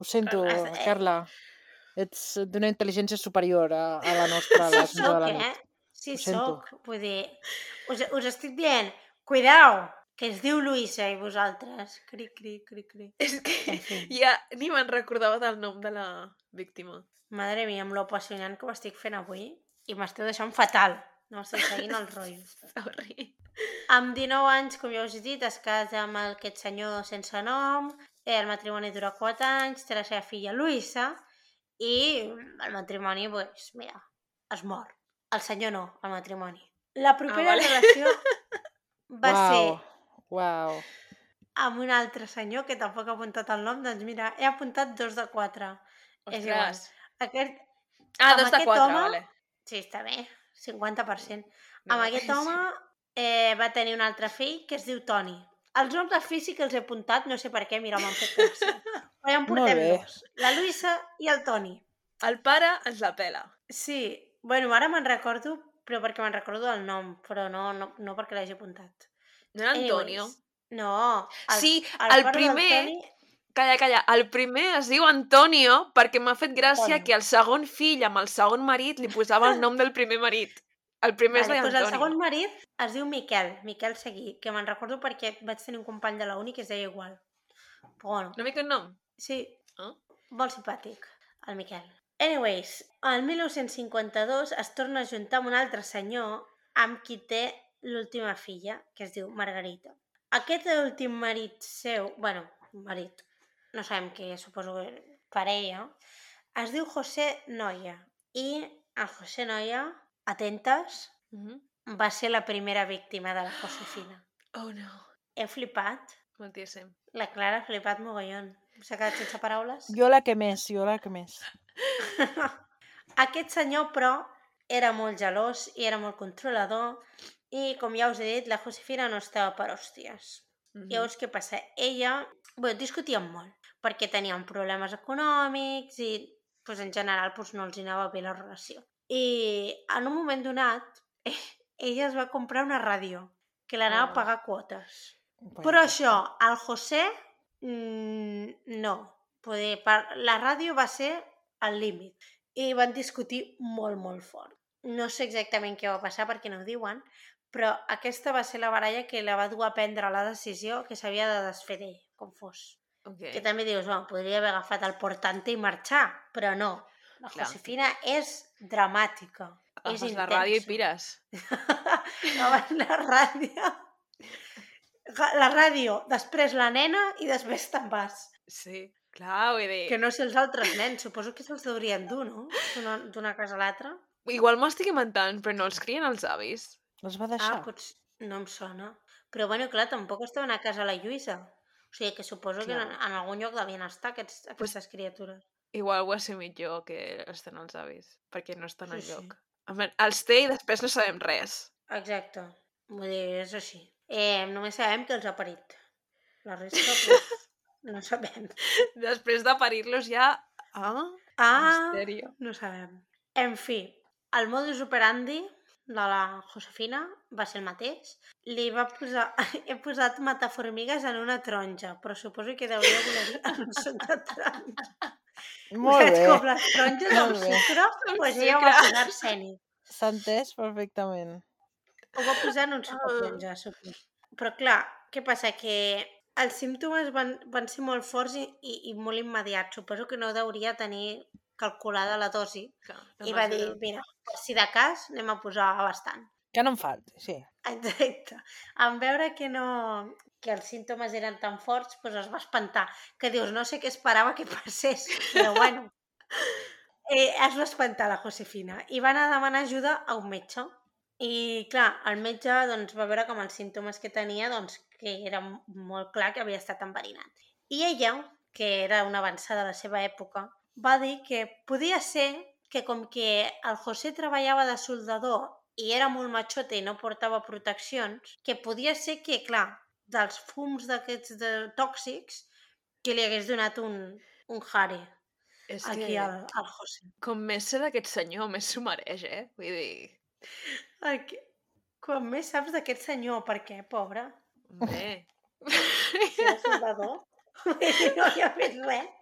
Ho sento, Eh. Carla. Ets d'una intel·ligència superior a la nostra a les 11 de la nit. Sí, Ho sento. soc. Vull dir, us estic dient, cuidao, que es diu Luisa i vosaltres. Cri, cri, cri, cri. És que En fi. ja ni me'n recordava del nom de la víctima. Madre mia, amb lo apassionant que ho estic fent avui, i m'esteu deixant fatal. No estic seguint el rotllo. Sorry. Amb 19 anys, com ja us he dit, es casa amb aquest senyor sense nom, el matrimoni dura 4 anys, té la seva filla Luisa, i el matrimoni, mira, es mor. El senyor no, el matrimoni. La propera relació va ser Uau. amb un altre senyor, que tampoc he apuntat el nom, doncs mira, he apuntat 2 de 4. És igual. Ostres. Amb 2 de aquest 4, home, vale. sí, està bé, 50%. No, Amb aquest home va tenir un altre fill que es diu Toni. Els noms del fill sí que els he apuntat, no sé per què, mira, m'han fet gràcia. Però ja en portem Molt bé. 2, la Luisa i el Toni. El pare ens la pela. Sí, bueno, ara me'n recordo, però perquè me'n recordo del nom, però no perquè l'hagi apuntat. No era Antonio? Anyways, no. Sí, el pare primer... del Toni... Calla. El primer es diu Antonio perquè m'ha fet gràcia Antonio. que el segon fill amb el segon marit li posava el nom del primer marit. El primer es deia Doncs Antonio. el segon marit es diu Miquel Seguí, que me'n recordo perquè vaig tenir un company de la uni que es deia igual. Però bueno. No m'hi un nom? Sí, Oh? molt simpàtic, el Miquel. Anyways, el 1952 es torna a juntar amb un altre senyor amb qui té l'última filla, que es diu Margarita. Aquest últim marit seu, marit, no sabem què, suposo que parella, es diu José Noya. I el José Noya, atentes, va ser la primera víctima de la Josefina. Oh, no. He flipat. Moltíssim. La Clara ha flipat mogollon. S'ha quedat sense paraules. Jo la que més. Aquest senyor, però, era molt gelós i era molt controlador i, com ja us he dit, la Josefina no estava per hòsties. Llavors, què passa? Ella... discutíem molt, perquè tenien problemes econòmics i, en general, no els anava bé la relació. I, en un moment donat, ella es va comprar una ràdio, que l'anava a pagar quotes. Però això, al José, no. La ràdio va ser al límit. I van discutir molt, molt fort. No sé exactament què va passar perquè no ho diuen, però aquesta va ser la baralla que la va dur a prendre la decisió que s'havia de desfer d'ell, com fos. Okay. Que també dius, podria haver agafat el portante i marxar, però no. La Josefina és dramàtica, és intensa. La ràdio i pires. La ràdio, després la nena i després te'n vas. Sí, clar, vull dir... Que no sé els altres nens, suposo que se'ls deurien dur, no? D'una casa a l'altra. Igual m'estic inventant, però no els crien els avis. Els va deixar? No em sona. Però, clar, tampoc estaven a casa la Lluïsa. O sigui, que suposo que en algun lloc devien estar aquestes criatures. Igual ho assumit jo que estan els avis, perquè no estan al lloc. Els té i després no sabem res. Exacte. Vull dir, és així. Només sabem que els ha parit. La resta, no sabem. Després de parir-los ja... misteri. No sabem. En fi, el modus operandi de la Josefina va ser el mateix. He posat mataformigues en una taronja, però suposo que deuria voler dir en un suc de taronja. Molt bé. Com les taronges amb sucre, doncs ella ho va posar arsènic. S'ha entès perfectament. Ho va posar en un suc de taronja, suposo. Però clar, què passa? Que els símptomes van ser molt forts i molt immediats. Suposo que no deuria tenir calculada la dosi. I va dir, mira, per si de cas anem a posar bastant. Que no em falti, sí. Exacte. En veure que els símptomes eren tan forts, doncs es va espantar. Que dius, no sé què esperava que passés, però bueno. Es va espantar la Josefina i va anar a demanar ajuda a un metge. I clar, el metge va veure com els símptomes que tenia, que era molt clar que havia estat enverinat. I ella, que era una avançada de la seva època, va dir que podia ser que com que el José treballava de soldador i era molt matxote i no portava proteccions, que podia ser que, clar, dels fums d'aquests tòxics, que li hagués donat un jare aquí al José. Com més sé d'aquest senyor, més s'ho mereix, Vull dir... Quan més saps d'aquest senyor, per què, pobre? Bé. Si era soldador, no hi ha fet res.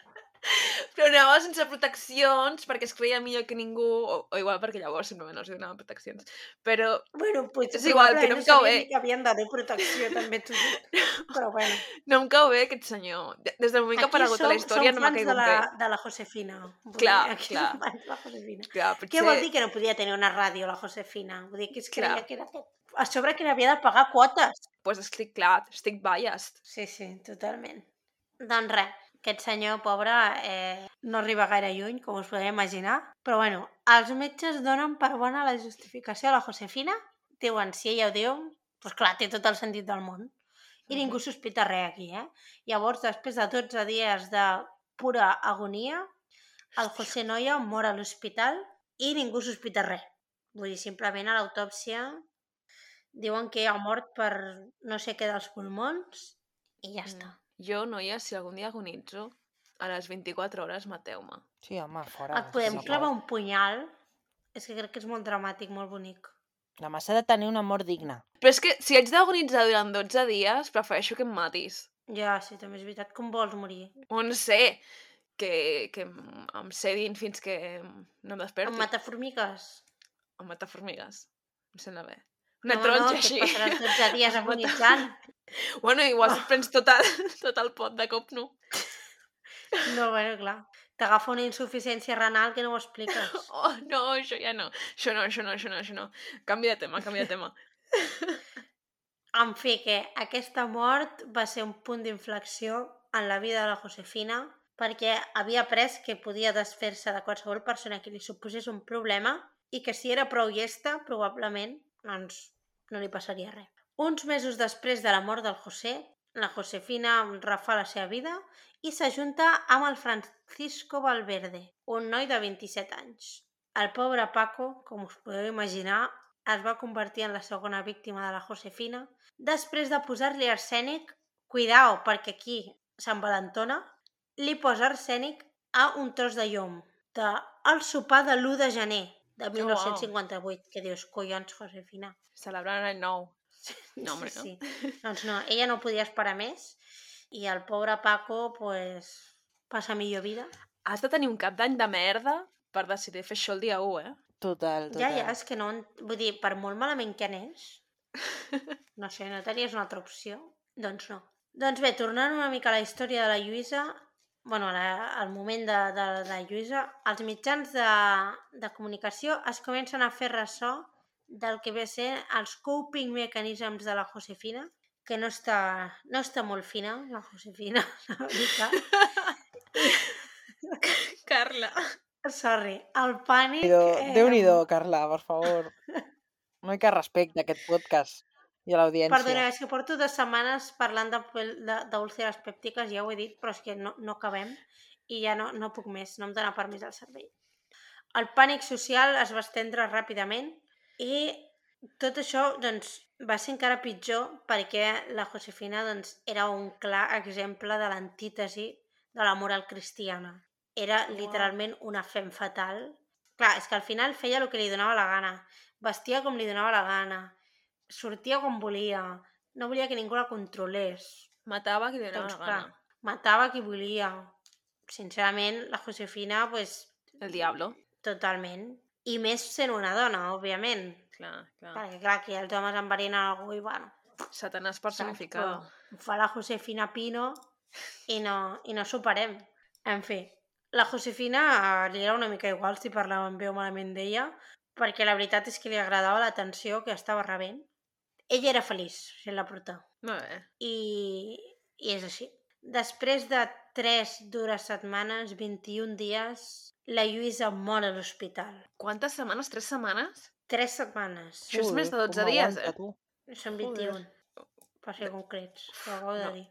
Però anava sense proteccions perquè es creia millor que ningú, o igual perquè llavors simplement no es donaven proteccions, però potser és igual, que no em cau bé. Que havien de donar protecció, també t'ho dic, però bueno. No em cau bé aquest senyor. Des del moment que ha aparegut a la història no m'ha caigut bé. Aquí som fans de la Josefina. Clar. Som fans de la Josefina. Clar, potser... Què vol dir que no podia tenir una ràdio la Josefina? Vull dir que es creia que era tot. A sobre que n'havia de pagar quotes. Doncs estic biased. Sí, totalment. Doncs res, aquest senyor pobre no arriba gaire lluny, com us podeu imaginar, però bueno, els metges donen per bona la justificació a la Josefina, diuen, si ella ho diu, doncs clar, té tot el sentit del món, i ningú sospita res aquí, Llavors, després de 12 dies de pura agonia, el José Noia mor a l'hospital i ningú sospita res. Vull dir, simplement a l'autòpsia diuen que ha mort per no sé què dels pulmons i ja està. Jo, noia, si algun dia agonitzo, a les 24 hores mateu-me. Sí, home, fora. Et podem clavar un punyal? És que crec que és molt dramàtic, molt bonic. Home, s'ha de tenir una mort digna. Però és que si haig d'agonitzar durant 12 dies, prefereixo que em matis. Ja, sí, també és veritat. Com vols morir? No sé, que em sedin fins que no em desperti. Amb mataformigues? Amb mataformigues. Em sembla bé. Una taronja així. No, que et passaràs 12 dies agonitzant. Bueno, igual si et prens tot el pot de cop, no? No, bueno, clar. T'agafa una insuficiència renal que no ho expliques. Oh, no, això ja no. Això no. Canvi de tema. En fi, que aquesta mort va ser un punt d'inflexió en la vida de la Josefina perquè havia après que podia desfer-se de qualsevol persona que li suposés un problema i que si era prou llesta, probablement, doncs no li passaria res. Uns mesos després de la mort del José, la Josefina refà la seva vida i s'ajunta amb el Francisco Valverde, un noi de 27 anys. El pobre Paco, com us podeu imaginar, es va convertir en la segona víctima de la Josefina després de posar-li arsènic, cuidao, perquè aquí s'envalentona, li posa arsènic a un tros de llom del sopar de l'1 de gener de 1958, que dius, collons, Josefina. Celebrant l'any nou. No, home, Sí. Doncs no, ella no podia esperar més i el pobre Paco, pues, passa millor vida. Has de tenir un cap d'any de merda per decidir fer això el dia 1, Total. Ja, és que no... Vull dir, per molt malament que anés, no sé, no tenies una altra opció? Doncs no. Doncs bé, tornant una mica a la història de la Lluïsa, bueno, al moment de la Lluïsa, els mitjans de comunicació es comencen a fer ressò del que ve a ser els coping mechanisms de la Josefina, que no està molt fina, la Josefina, la veritat. Carla. Sorry, el pànic... Déu-n'hi-do, Carla, per favor. No hi ha respecte a aquest podcast i a l'audiència. Perdona, és que porto 2 setmanes parlant d'úlceres pèptiques, ja ho he dit, però és que no acabem i ja no puc més, no em dóna permís al cervell. El pànic social es va estendre ràpidament i tot això doncs, va ser encara pitjor perquè la Josefina doncs, era un clar exemple de l'antítesi de la moral cristiana. Era literalment una femme fatal. Clar, és que al final feia el que li donava la gana, vestia com li donava la gana, sortia com volia, no volia que ningú la controlés. Matava qui li donava la gana. Matava qui volia. Sincerament, la Josefina, pues... El diablo. Totalment. I més sent una dona, òbviament. Clar. Perquè, clar, aquí els homes enverinen algú i, bueno... Satanàs personificado. Fa la Josefina Pino i no superem. En fi, la Josefina li era una mica igual si parlaven bé o malament d'ella, perquè la veritat és que li agradava l'atenció que estava rebent. Ella era feliç sent la prota. Molt bé. I és així. Després de 3 dures setmanes, 21 dies, la Lluïsa mor a l'hospital. Quantes setmanes? 3 setmanes? 3 setmanes. Això és més de 12 dies, Són 21. Per ser concrets, ho acabo de dir.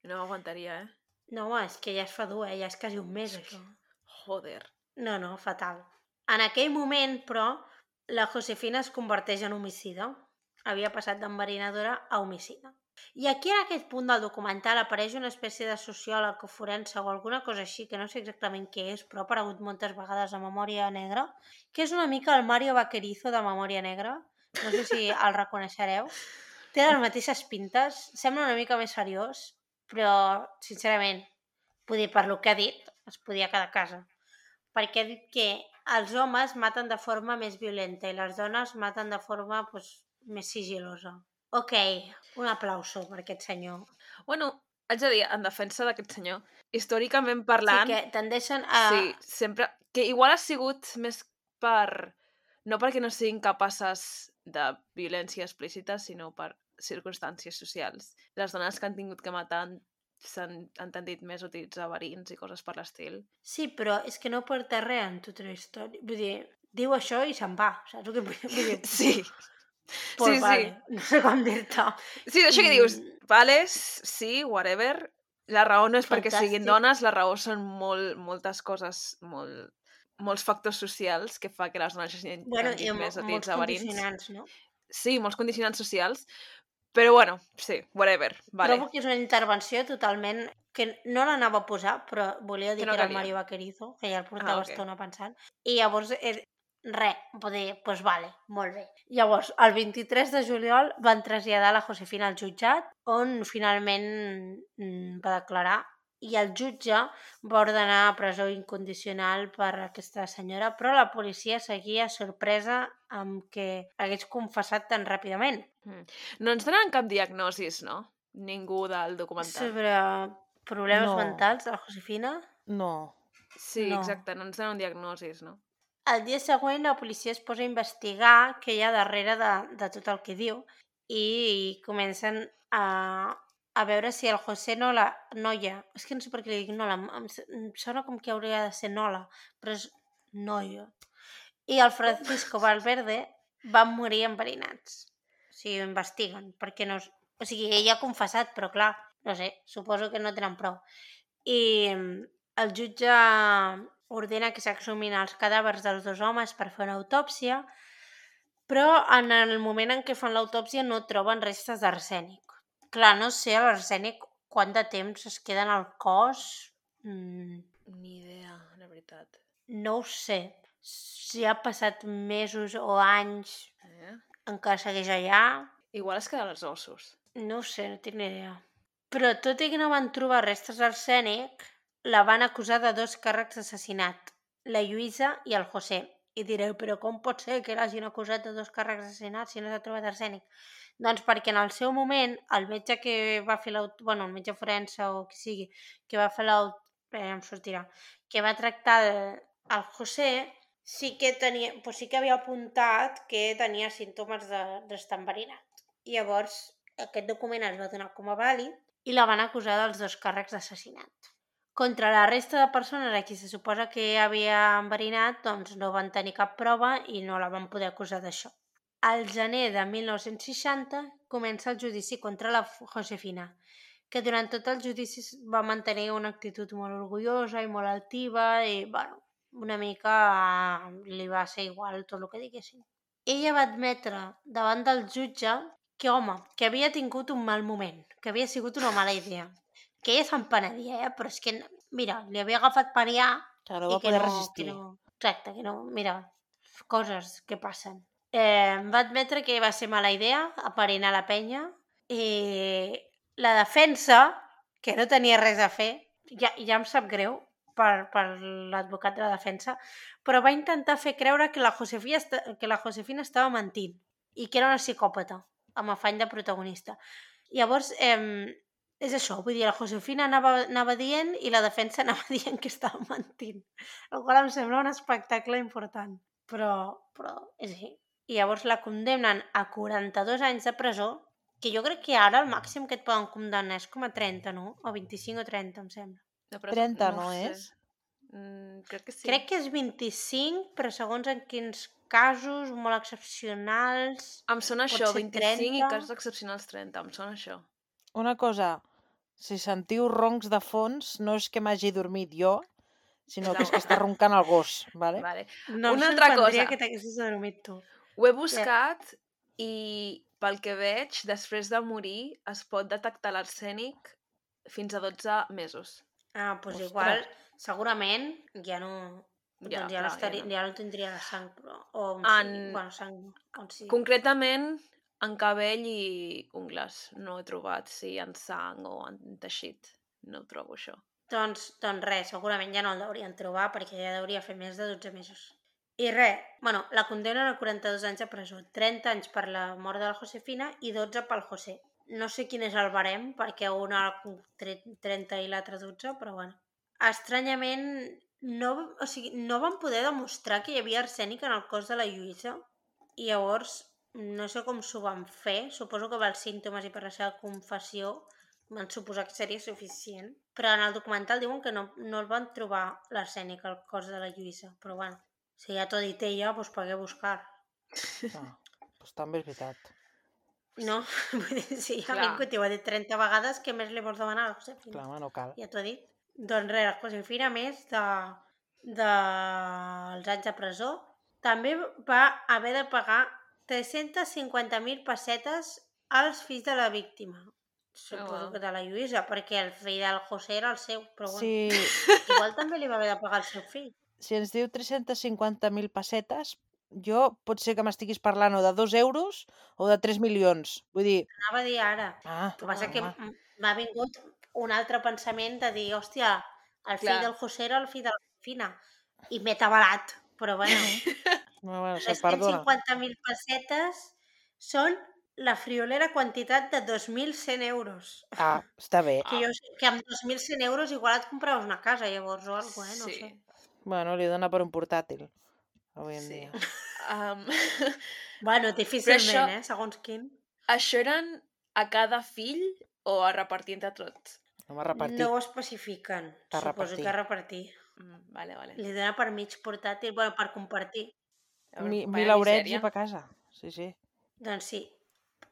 No aguantaria, No, és que ja es fa dur, ja és quasi un mes, això. Joder. No, fatal. En aquell moment, però, la Josefina es converteix en homicida. Havia passat d'enverinadora a homicida. I aquí, en aquest punt del documental, apareix una espècie de sociòleg o forense o alguna cosa així, que no sé exactament què és, però ha aparegut moltes vegades a Memòria Negra, que és una mica el Mario Vaquerizo de Memòria Negra. No sé si el reconeixereu. Té les mateixes pintes, sembla una mica més seriós, però, sincerament, vull dir, per lo que ha dit, es podia quedar a casa. Perquè ha dit que els homes maten de forma més violenta i les dones maten de forma més sigilosa. Ok, un aplauso per aquest senyor. Bueno, haig de dir, en defensa d'aquest senyor, històricament parlant... Sí, que tendeixen a... Sí, sempre... Que igual ha sigut més per... No perquè no siguin capaces de violència explícita, sinó per circumstàncies socials. Les dones que han tingut que matar han tendit més a utilitzar verins i coses per l'estil. Sí, però és que no porta res en tota la història. Vull dir, diu això i se'n va, saps el que vull dir? Sí. Pues vale, no sé com dir-te. Sí, això que dius, vale, sí, whatever. La raó no és perquè siguin dones, la raó són moltes coses, molts factors socials que fa que les dones hagin més a utilitzar verins. Molts condicionants, no? Sí, molts condicionants socials, però bueno, sí, whatever. Vale. Trobo que és una intervenció totalment... que no l'anava a posar, però volia dir que era el Mario Vaquerizo, que ja el portava estona pensant. I llavors, doncs vale, molt bé. Llavors, el 23 de juliol van traslladar la Josefina al jutjat, on finalment va declarar, i el jutge va ordenar presó incondicional per aquesta senyora, però la policia seguia sorpresa amb que hagués confessat tan ràpidament. No ens donen cap diagnosis, no? Ningú del documental. Sobre problemes mentals de la Josefina? No. Sí, exacte, no ens donen diagnosis, no? El dia següent la policia es posa a investigar què hi ha darrere de tot el que diu i comencen a veure si el José no la noia, és que no sé per què li dic nola, em sona com que hauria de ser nola, però és noia. I el Francisco Valverde van morir enverinats. sigui, ho investiguen, perquè no... O sigui, ella ha confessat, però clar, no sé, suposo que no tenen prou. I el jutge ordena que s'exhumin els cadàvers dels 2 homes per fer una autòpsia, però en el moment en què fan l'autòpsia no troben restes d'arsènic. Clar, no sé l'arsènic quant de temps es queda en el cos. Ni idea, la veritat. No ho sé. Si ha passat mesos o anys, encara segueix allà. Igual es queden els ossos. No ho sé, no tinc ni idea. Però tot i que no van trobar restes d'arsènic, la van acusar de 2 càrrecs d'assassinat, la Lluïsa i el José. I direu, però com pot ser que l'hagin acusat de 2 càrrecs d'assassinat si no s'ha trobat arsènic? Doncs perquè en el seu moment, el metge que va fer el metge forense o qui sigui, que va fer em sortirà, que va tractar el José, sí que havia apuntat que tenia símptomes d'estar enverinat. I llavors aquest document es va donar com a vàlid i la van acusar dels 2 càrrecs d'assassinat. Contra la resta de persones a qui se suposa que havia enverinat, doncs no van tenir cap prova i no la van poder acusar d'això. Al gener de 1960 comença el judici contra la Josefina, que durant tot el judici va mantenir una actitud molt orgullosa i molt altiva i, bueno, una mica li va ser igual tot el que diguessin. Ella va admetre davant del jutge que, home, que havia tingut un mal moment, que havia sigut una mala idea, que ella se'n penedia, però és que, mira, li havia agafat per allà Que no i va poder resistir. Exacte, que no, mira, coses que passen. Va admetre que va ser mala idea aparinar la penya i la defensa, que no tenia res a fer, ja em sap greu per l'advocat de la defensa, però va intentar fer creure que la Josefina estava mentint i que era una psicòpata, amb afany de protagonista. Llavors, és això, vull dir, la Josefina anava dient i la defensa anava dient que estava mentint, el qual em sembla un espectacle important, però és així. I llavors la condemnen a 42 anys de presó, que jo crec que ara el màxim que et poden condemnar és com a 30, no? O 25 o 30, em sembla. 30 no sé. és? Crec que sí. Crec que és 25, però segons en quins casos molt excepcionals... Em sona pot això, ser 25 i 30. casos excepcionals 30, em sona això. Una cosa, si sentiu roncs de fons, no és que m'hagi dormit jo, sinó que és que està roncant el gos, vale? Vale. No Una altra cosa. que t'haguessis adormit tu. Ho he buscat i pel que veig, després de morir es pot detectar l'arsènic fins a 12 mesos. Ah, doncs Ostres. igual, segurament ja no... Ja, doncs clar, ja no tindria la sang, però... O sang, on sigui. Concretament, en cabell i ungles. No he trobat si en sang o en teixit. No ho trobo, això. Doncs res, segurament ja no el deurien trobar perquè ja hauria fer més de 12 mesos. I res, la condemnen a 42 anys de presó, 30 anys per la mort de la Josefina i 12 pel José. No sé quin és el barem, perquè un 30 i l'altre 12, però bueno. Estranyament, no van poder demostrar que hi havia arsènic en el cos de la Lluïsa i llavors no sé com s'ho van fer, suposo que pels símptomes i per la seva confessió van suposar que seria suficient, però en el documental diuen que no el van trobar l'arsènic al cos de la Lluïsa, però bueno, si ja t'ho ha dit ella, doncs per què buscar? Doncs també és veritat. No, vull dir, si ja ha vingut i ho ha dit 30 vegades, què més li vols demanar a la Josefina? Clar, no cal. Ja t'ho ha dit. Doncs res, la Josefina, més dels anys de presó, també va haver de pagar 350.000 pessetes als fills de la víctima. Suposo que de la Lluïsa, perquè el fill del José era el seu, però bueno. Sí. Igual també li va haver de pagar el seu fill. Si ens diu 350.000 pessetes, jo pot ser que m'estiguis parlant o de 2 euros o de 3 milions. Vull dir... Anava a dir ara. Ah, el que passa que m'ha vingut un altre pensament de dir, hòstia, el fill del José era el fill de la Josefina. I m'he tabalat, però bueno. Bueno, se perdona. 350.000 pessetes són la friolera quantitat de 2.100 euros. Ah, està bé. Que amb 2.100 euros igual et compraves una casa, llavors, o alguna cosa, no sé. Bueno, li dona per un portàtil, avui en dia. Bueno, difícilment, segons quin. Això eren a cada fill o a repartir entre tots? No ho especifiquen. Suposo que a repartir. Vale. Li dona per mig portàtil, per compartir. 1.000 eurets i per casa, sí. Doncs sí.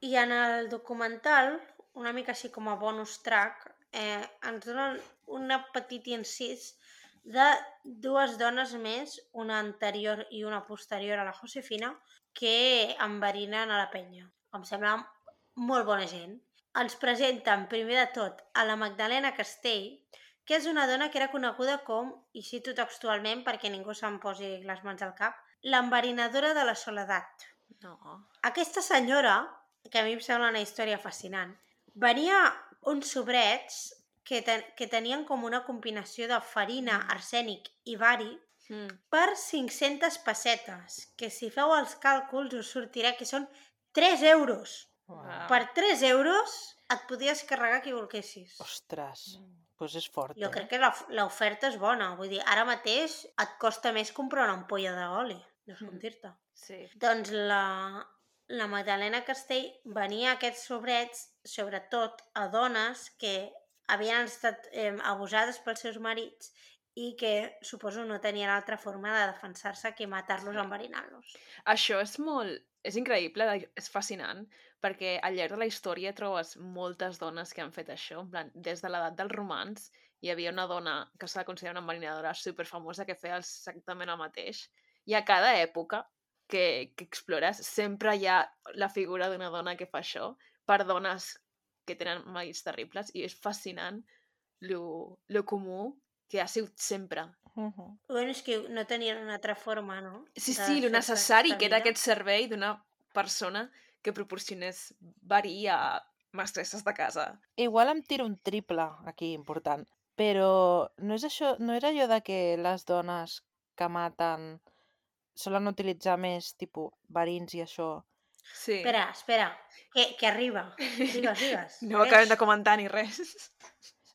I en el documental, una mica així com a bonus track, ens donen un petit incís de 2 dones més, una anterior i una posterior a la Josefina, que enverinen a la penya. Em sembla molt bona gent. Ens presenten, primer de tot, a la Magdalena Castell, que és una dona que era coneguda com, i cito textualment perquè ningú se'm posi les mans al cap, l'enverinadora de la soledat. No. Aquesta senyora, que a mi em sembla una història fascinant, venia uns sobrets que tenien com una combinació de farina, arsènic i bari per 500 pessetes, que si feu els càlculs us sortirà que són 3 euros. Wow. Per 3 euros et podies carregar qui volguessis. Ostres, doncs és fort, Jo crec que l'oferta és bona. Vull dir, ara mateix et costa més comprar una ampolla d'oli. No sé com dir-te. Sí. Doncs la Magdalena Castell venia a aquests sobrets, sobretot a dones que havien estat abusades pels seus marits i que suposo no tenien altra forma de defensar-se que matar-los enverinant-los. Això és increïble, és fascinant, perquè al llarg de la història trobes moltes dones que han fet això. En plan, des de l'edat dels romans hi havia una dona que s'ha de considerar una enverinadora superfamosa que feia exactament el mateix. I a cada època que explores sempre hi ha la figura d'una dona que fa això per dones que tenen marits terribles, i és fascinant lo comú que ha sigut sempre. Bueno, és que no tenien una altra forma, no? Sí, lo necessari que era aquest servei d'una persona que proporcionés verí a mestresses de casa. Igual em tiro un triple aquí, important. Però no és això, no era allò de que les dones que maten solen utilitzar més, tipus, verins i això. Sí. Espera, que arriba. Digues. No acabem de comentar ni res.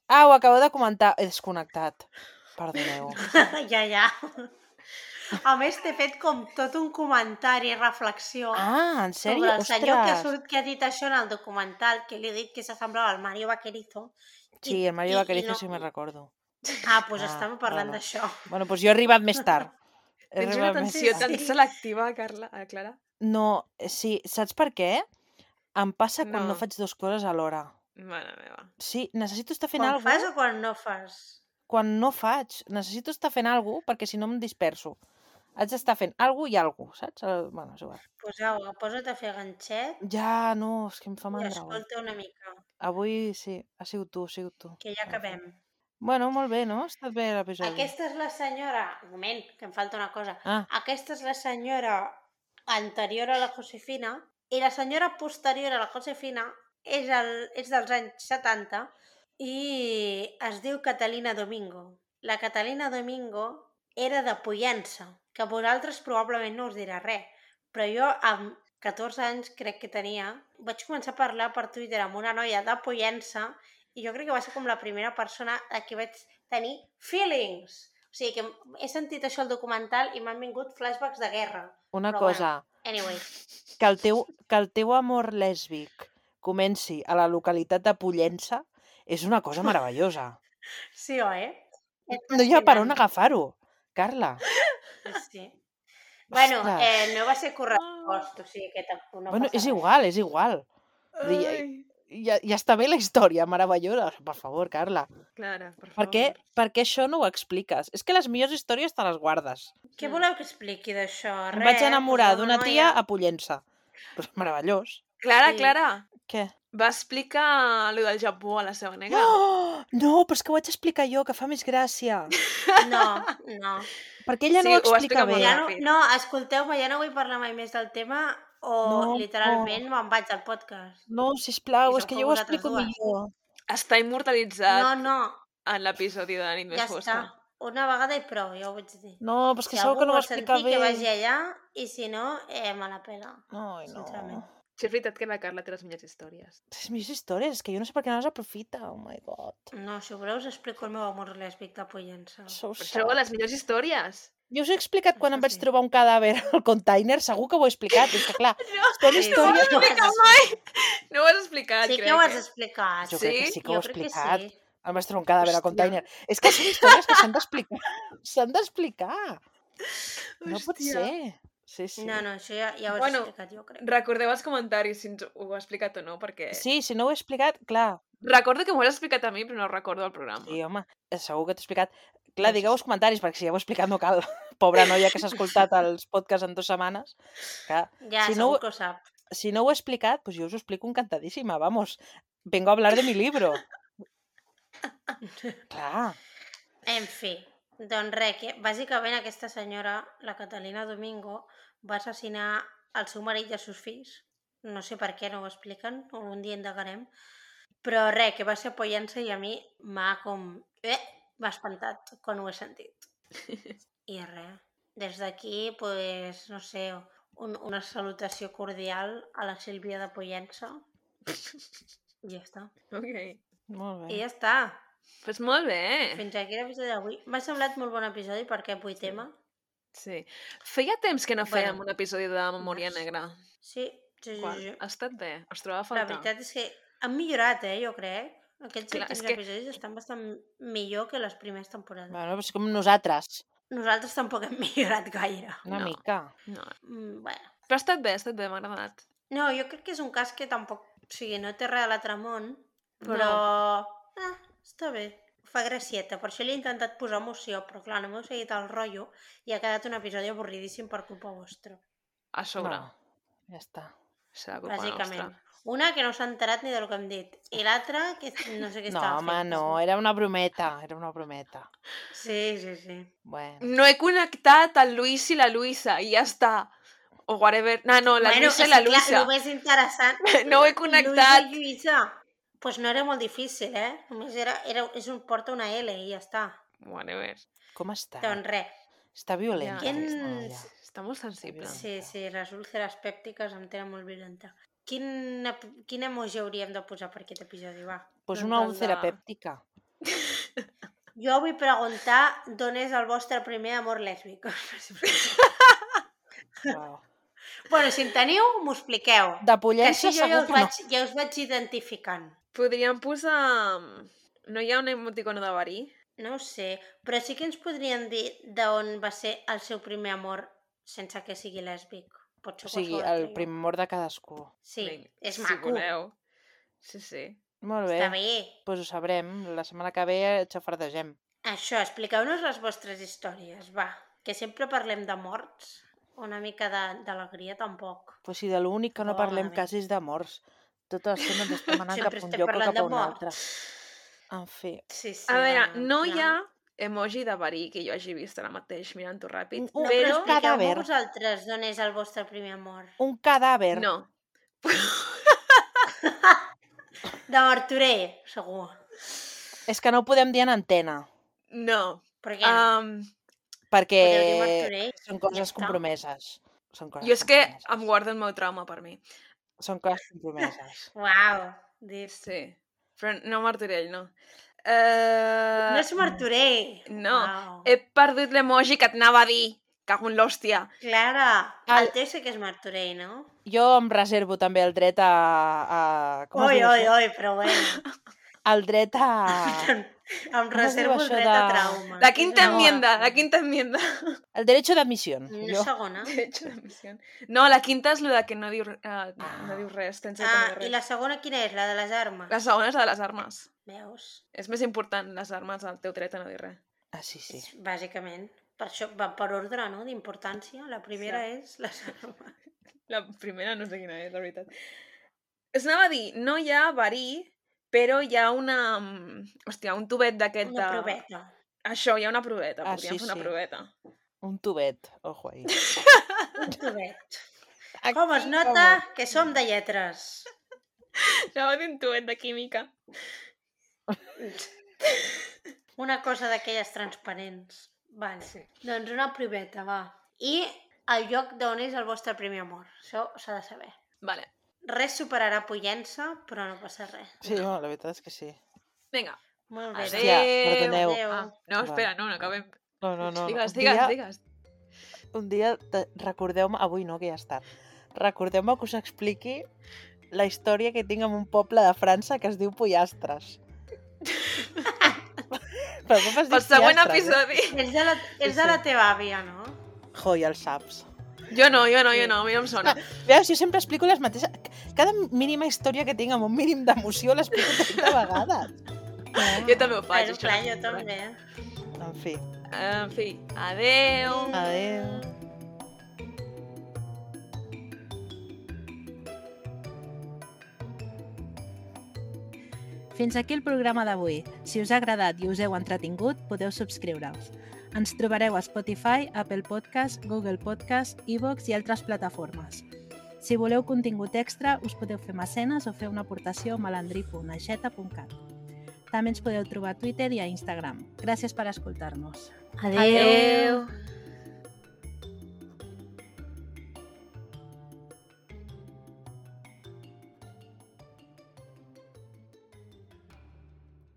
Ah, ho acabo de comentar. He desconnectat. Perdoneu. Ja. A més, t'he fet com tot un comentari, reflexió Ah, en sèrio? sobre el senyor Ostres! que ha dit això en el documental, que li he dit que s'assemblava al Mario Vaquerizo. Sí, el Mario Vaquerizo sí me'n recordo. Ah, doncs estàvem parlant d'això. Bueno, doncs jo he arribat més tard. Tens una atenció tan selectiva, Clara? No, sí, saps per què? Em passa quan No. no faig 2 coses alhora. Mare meva. Sí, necessito estar fent Quan alguna fas o quan no fas? Quan no faig. Necessito estar fent alguna cosa perquè si no em disperso. Haig d'estar fent alguna i alguna, saps? Bueno, és igual. Pues au, posa't a fer ganxet Ja, no, és que em fa i mandra avui. escolta una mica, Avui sí, ha sigut tu. que ja acabem. Bueno, molt bé, no? Ha estat bé l'episodi. Aquesta és la senyora... Un moment, que em falta una cosa. Ah. Aquesta és la senyora anterior a la Josefina i la senyora posterior a la Josefina és dels anys 70 i es diu Catalina Domingo. La Catalina Domingo era de Pollença, que a vosaltres probablement no us dirà res, però jo amb 14 anys crec que tenia, vaig començar a parlar per Twitter amb una noia de Pollença i jo crec que va ser com la primera persona a qui vaig tenir feelings. O sigui que he sentit això al documental i m'han vingut flashbacks de guerra. Una Però cosa, Anyway, que el teu amor lèsbic comenci a la localitat de Pollença és una cosa meravellosa. sí, oi? No hi ha per on agafar-ho, Carla. Sí. Bueno, Ostres. no va ser correspost, o sigui que tampoc no Bueno, passa és igual. Vull dir, ja està bé la història, meravellosa. Per favor, Carla. Clara, per Per favor. què això no ho expliques? És que les millors històries te les guardes. Què voleu que expliqui d'això? Em vaig enamorar d'una tia a Pollença. Pues meravellós. Clara, Sí. Clara, Què? va explicar allò del Japó a la seva nega. Oh! No, però és que ho vaig explicar jo, que fa més gràcia. No. Perquè ella Sí, no ho ho va explica explicar bé. molt Ja ràpid. no, escolteu-me, ja no vull parlar mai més del tema o No. literalment me'n vaig al podcast. No, sisplau, I és som que com jo ho vosaltres explico dues. millor. Està immortalitzat No, en l'episodi de la nit ja més fosca. està. Una vegada i prou, ja ho vaig dir. No, però és que Si segur algú que no ho vol explica sentir, bé. que vagi allà, i si no, me la pela. Ai, no. Sincerament. Sí, és veritat que la Carla té les millors històries. Les millors històries, és que jo no sé per què no les aprofita. Oh my god. No, si voleu us explico el meu amor lèsbic de Pollença. So Per sad. això, les millors històries. Jo us he explicat quan Això em vaig sí. trobar un cadàver al container, segur que ho he explicat, és que clar, són Sí, històries... no ho has explicat. No ho has explicat, Sí crec. que ho has explicat. Jo crec que Sí? sí que ho he Jo crec que explicat. sí. Em vaig trobar un cadàver al Hòstia. container. És que són històries que s'han d'explicar. S'han d'explicar. No pot Hòstia. ser. Sí, sí. No, això ja ho has Bueno, explicat, jo crec. Recordeu als comentaris si ens ho he explicat o no, perquè... Sí, si no ho he explicat, clar. Recordo que m'ho has explicat a mi, però no recordo el programa. Sí, home, segur que t'he explicat. Clar, No, digueu als comentaris, perquè si ja ho he explicat no cal. Pobra noia que s'ha escoltat els podcasts en 2 setmanes. Clar, Ja, si no, segur que ho sap. si no ho he explicat, pues jo us ho explico encantadíssima, vamos. Vengo a hablar de mi libro. Clar. En fi, doncs res, que bàsicament aquesta senyora, la Catalina Domingo, va assassinar el seu marit i els seus fills. No sé per què, no ho expliquen, algun dia indagarem. Però res, que va ser Pollença i a mi m'ha m'ha espantat quan ho he sentit. I res, des d'aquí, pues, no sé, una salutació cordial a la Sílvia de Pollença. I ja està. Ok. Molt I bé. ja està. Pues molt bé. Fins aquí l'episodi d'avui. M'ha semblat molt bon episodi perquè avui tema. Sí. Feia temps que no fèiem Bueno, un episodi de Memòria març. Negra. Sí, sí, Quan? sí. Ha estat bé. Es trobava a La faltar. veritat és que han millorat, jo crec. Aquests Clar, últims és que- episodis estan bastant millor que les primeres temporades. Bueno, és com nosaltres, Nosaltres tampoc hem millorat gaire. una No. mica. No. Bueno. Però ha estat bé, m'ha agradat. No, jo crec que és un cas que tampoc... O sigui, no té res a l'altre món, però... està bé. Fa gracieta. Per això li he intentat posar emoció, però clar, no m'heu seguit el rotllo i ha quedat un episodi avorridíssim per culpa vostra. A sobre. No, ja està. Serà culpa Bàsicament. nostra. Una que no s'ha enterat ni del que hem dit. I l'altra que no sé què No, estava home, fent. no, era una brometa, era una brometa. Sí, sí, sí. Bueno, No he connectat el Lluís i la Luisa i ja està. O whatever. No, la Luisa i la és clar, Luisa. el més interessant... No ho he connectat. Luisa i Lluïsa. Pues no era molt difícil, Només porta una L i ja està. Whatever. com està? Doncs res. Està violenta, Ja. aquesta noia. Està molt sensible. Sí. Sí, les úlceres pèptiques em tenen molt violenta. Quin emoji hauríem de posar per aquest episodi, va? Pues En una plan úlcera de- pèptica. Jo vull preguntar d'on és el vostre primer amor lèsbic. Wow. Bueno, si en teniu, m'ho expliqueu. De Que Pollença així jo segur que no. ja us vaig identificant. Podríem posar... No hi ha un emoticono de verí? No ho sé, però sí que ens podrien dir d'on va ser el seu primer amor sense que sigui lèsbic. Pot ser O sigui, qualsevol el altre, jo. primer amor de cadascú. Sí, Vinga, és si maco. voleu. Sí. Molt bé. Està bé. Pues ho sabrem. La setmana que ve xafardegem. Això, expliqueu-nos les vostres històries, va. Que sempre parlem de morts. Una mica d'alegria tampoc. Pues si de l'únic que no Oh, parlem malament. quasi és de morts. Tot l'estona ens estem anant Sempre cap a un estem lloc o parlant cap a de un morts. altre. En fi. Sí, sí. A veure, bueno, no al hi final- ha emoji de verí que jo hagi vist ara mateix mirant-ho ràpid, No, No, però però... expliqueu-me cadàver. vosaltres d'on és el vostre primer amor. Un cadàver. No. De Martorell, segur. És que no ho podem dir en antena. No. Per què no? Perquè Podeu dir Martorell, són ja coses està. compromeses. Són coses Jo és que compromeses. em guardo el meu trauma per mi. Són coses compromeses. Uau, dit. Sí. Però no Martorell, no. No és Martorell. No. Uau. He perdut l'emoji que et anava a dir. Cago en l'hòstia. Clara, El- el teu sé que és Martorell, no? Jo em reservo també el dret a com es Oi, diu oi, això? oi, però bueno. El dret a... Em Com es diu reservo el això dret a de- trauma. La quinta No. enmienda, la quinta enmienda. El derecho de admisión. No Jo... segona. Derecho de admisión. No, la quinta és lo de que no diu, no diu res. Tens dret a no dir I res. la segona quina és? La de les armes? La segona és la de les armes. Veus? És més important les armes al teu dret a no dir res. Ah, sí, sí. Bàsicament. Per això va per ordre, no?, d'importància. La primera és les armes. La primera no sé quina és, la veritat. Es anava a dir, no hi ha verí, però hi ha una... Hòstia, un tubet d'aquest Una proveta. Això, hi ha una proveta. Ah, Podríem sí, fer una sí. proveta. Un tubet. Ojo ahí. Un tubet. Aquí, Com es nota que som de lletres. Anava a dir un tubet de química. Una cosa d'aquelles transparents. Vale. Sí. Doncs una proveta, va. I el lloc d'on és el vostre primer amor. Això s'ha de saber. Vale. Res superarà Pollença, però no passa res. Sí, no, la veritat és que sí. Vinga. Molt bé. Hòstia, perdoneu. Adéu. Ah, no, espera, no acabem. No, no, no. Digues, Un digues, dia- digues. Un dia, recordeu-me... Avui no, que ja està. Recordeu-me que us expliqui la història que tinc en un poble de França que es diu Pollastres. Però com es diu Pel següent Pollastres, episodi. És de la teva àvia, no? Jo, ja el saps. Jo no, a mi no em sona. Veus, jo sempre explico les mateixes... Cada mínima història que tinc amb un mínim d'emoció l'explico 30 vegades. Jo també ho faig, Bueno, això. clar, jo també. En fi. Adeu. Adéu. Fins aquí el programa d'avui. Si us ha agradat i us heu entretingut, podeu subscriure-us. Ens trobareu a Spotify, Apple Podcast, Google Podcast, iVoox i altres plataformes. Si voleu contingut extra, us podeu fer mecenes o fer una aportació a malandri.aixeta.cat. També ens podeu trobar a Twitter i a Instagram. Gràcies per escoltar-nos. Adéu.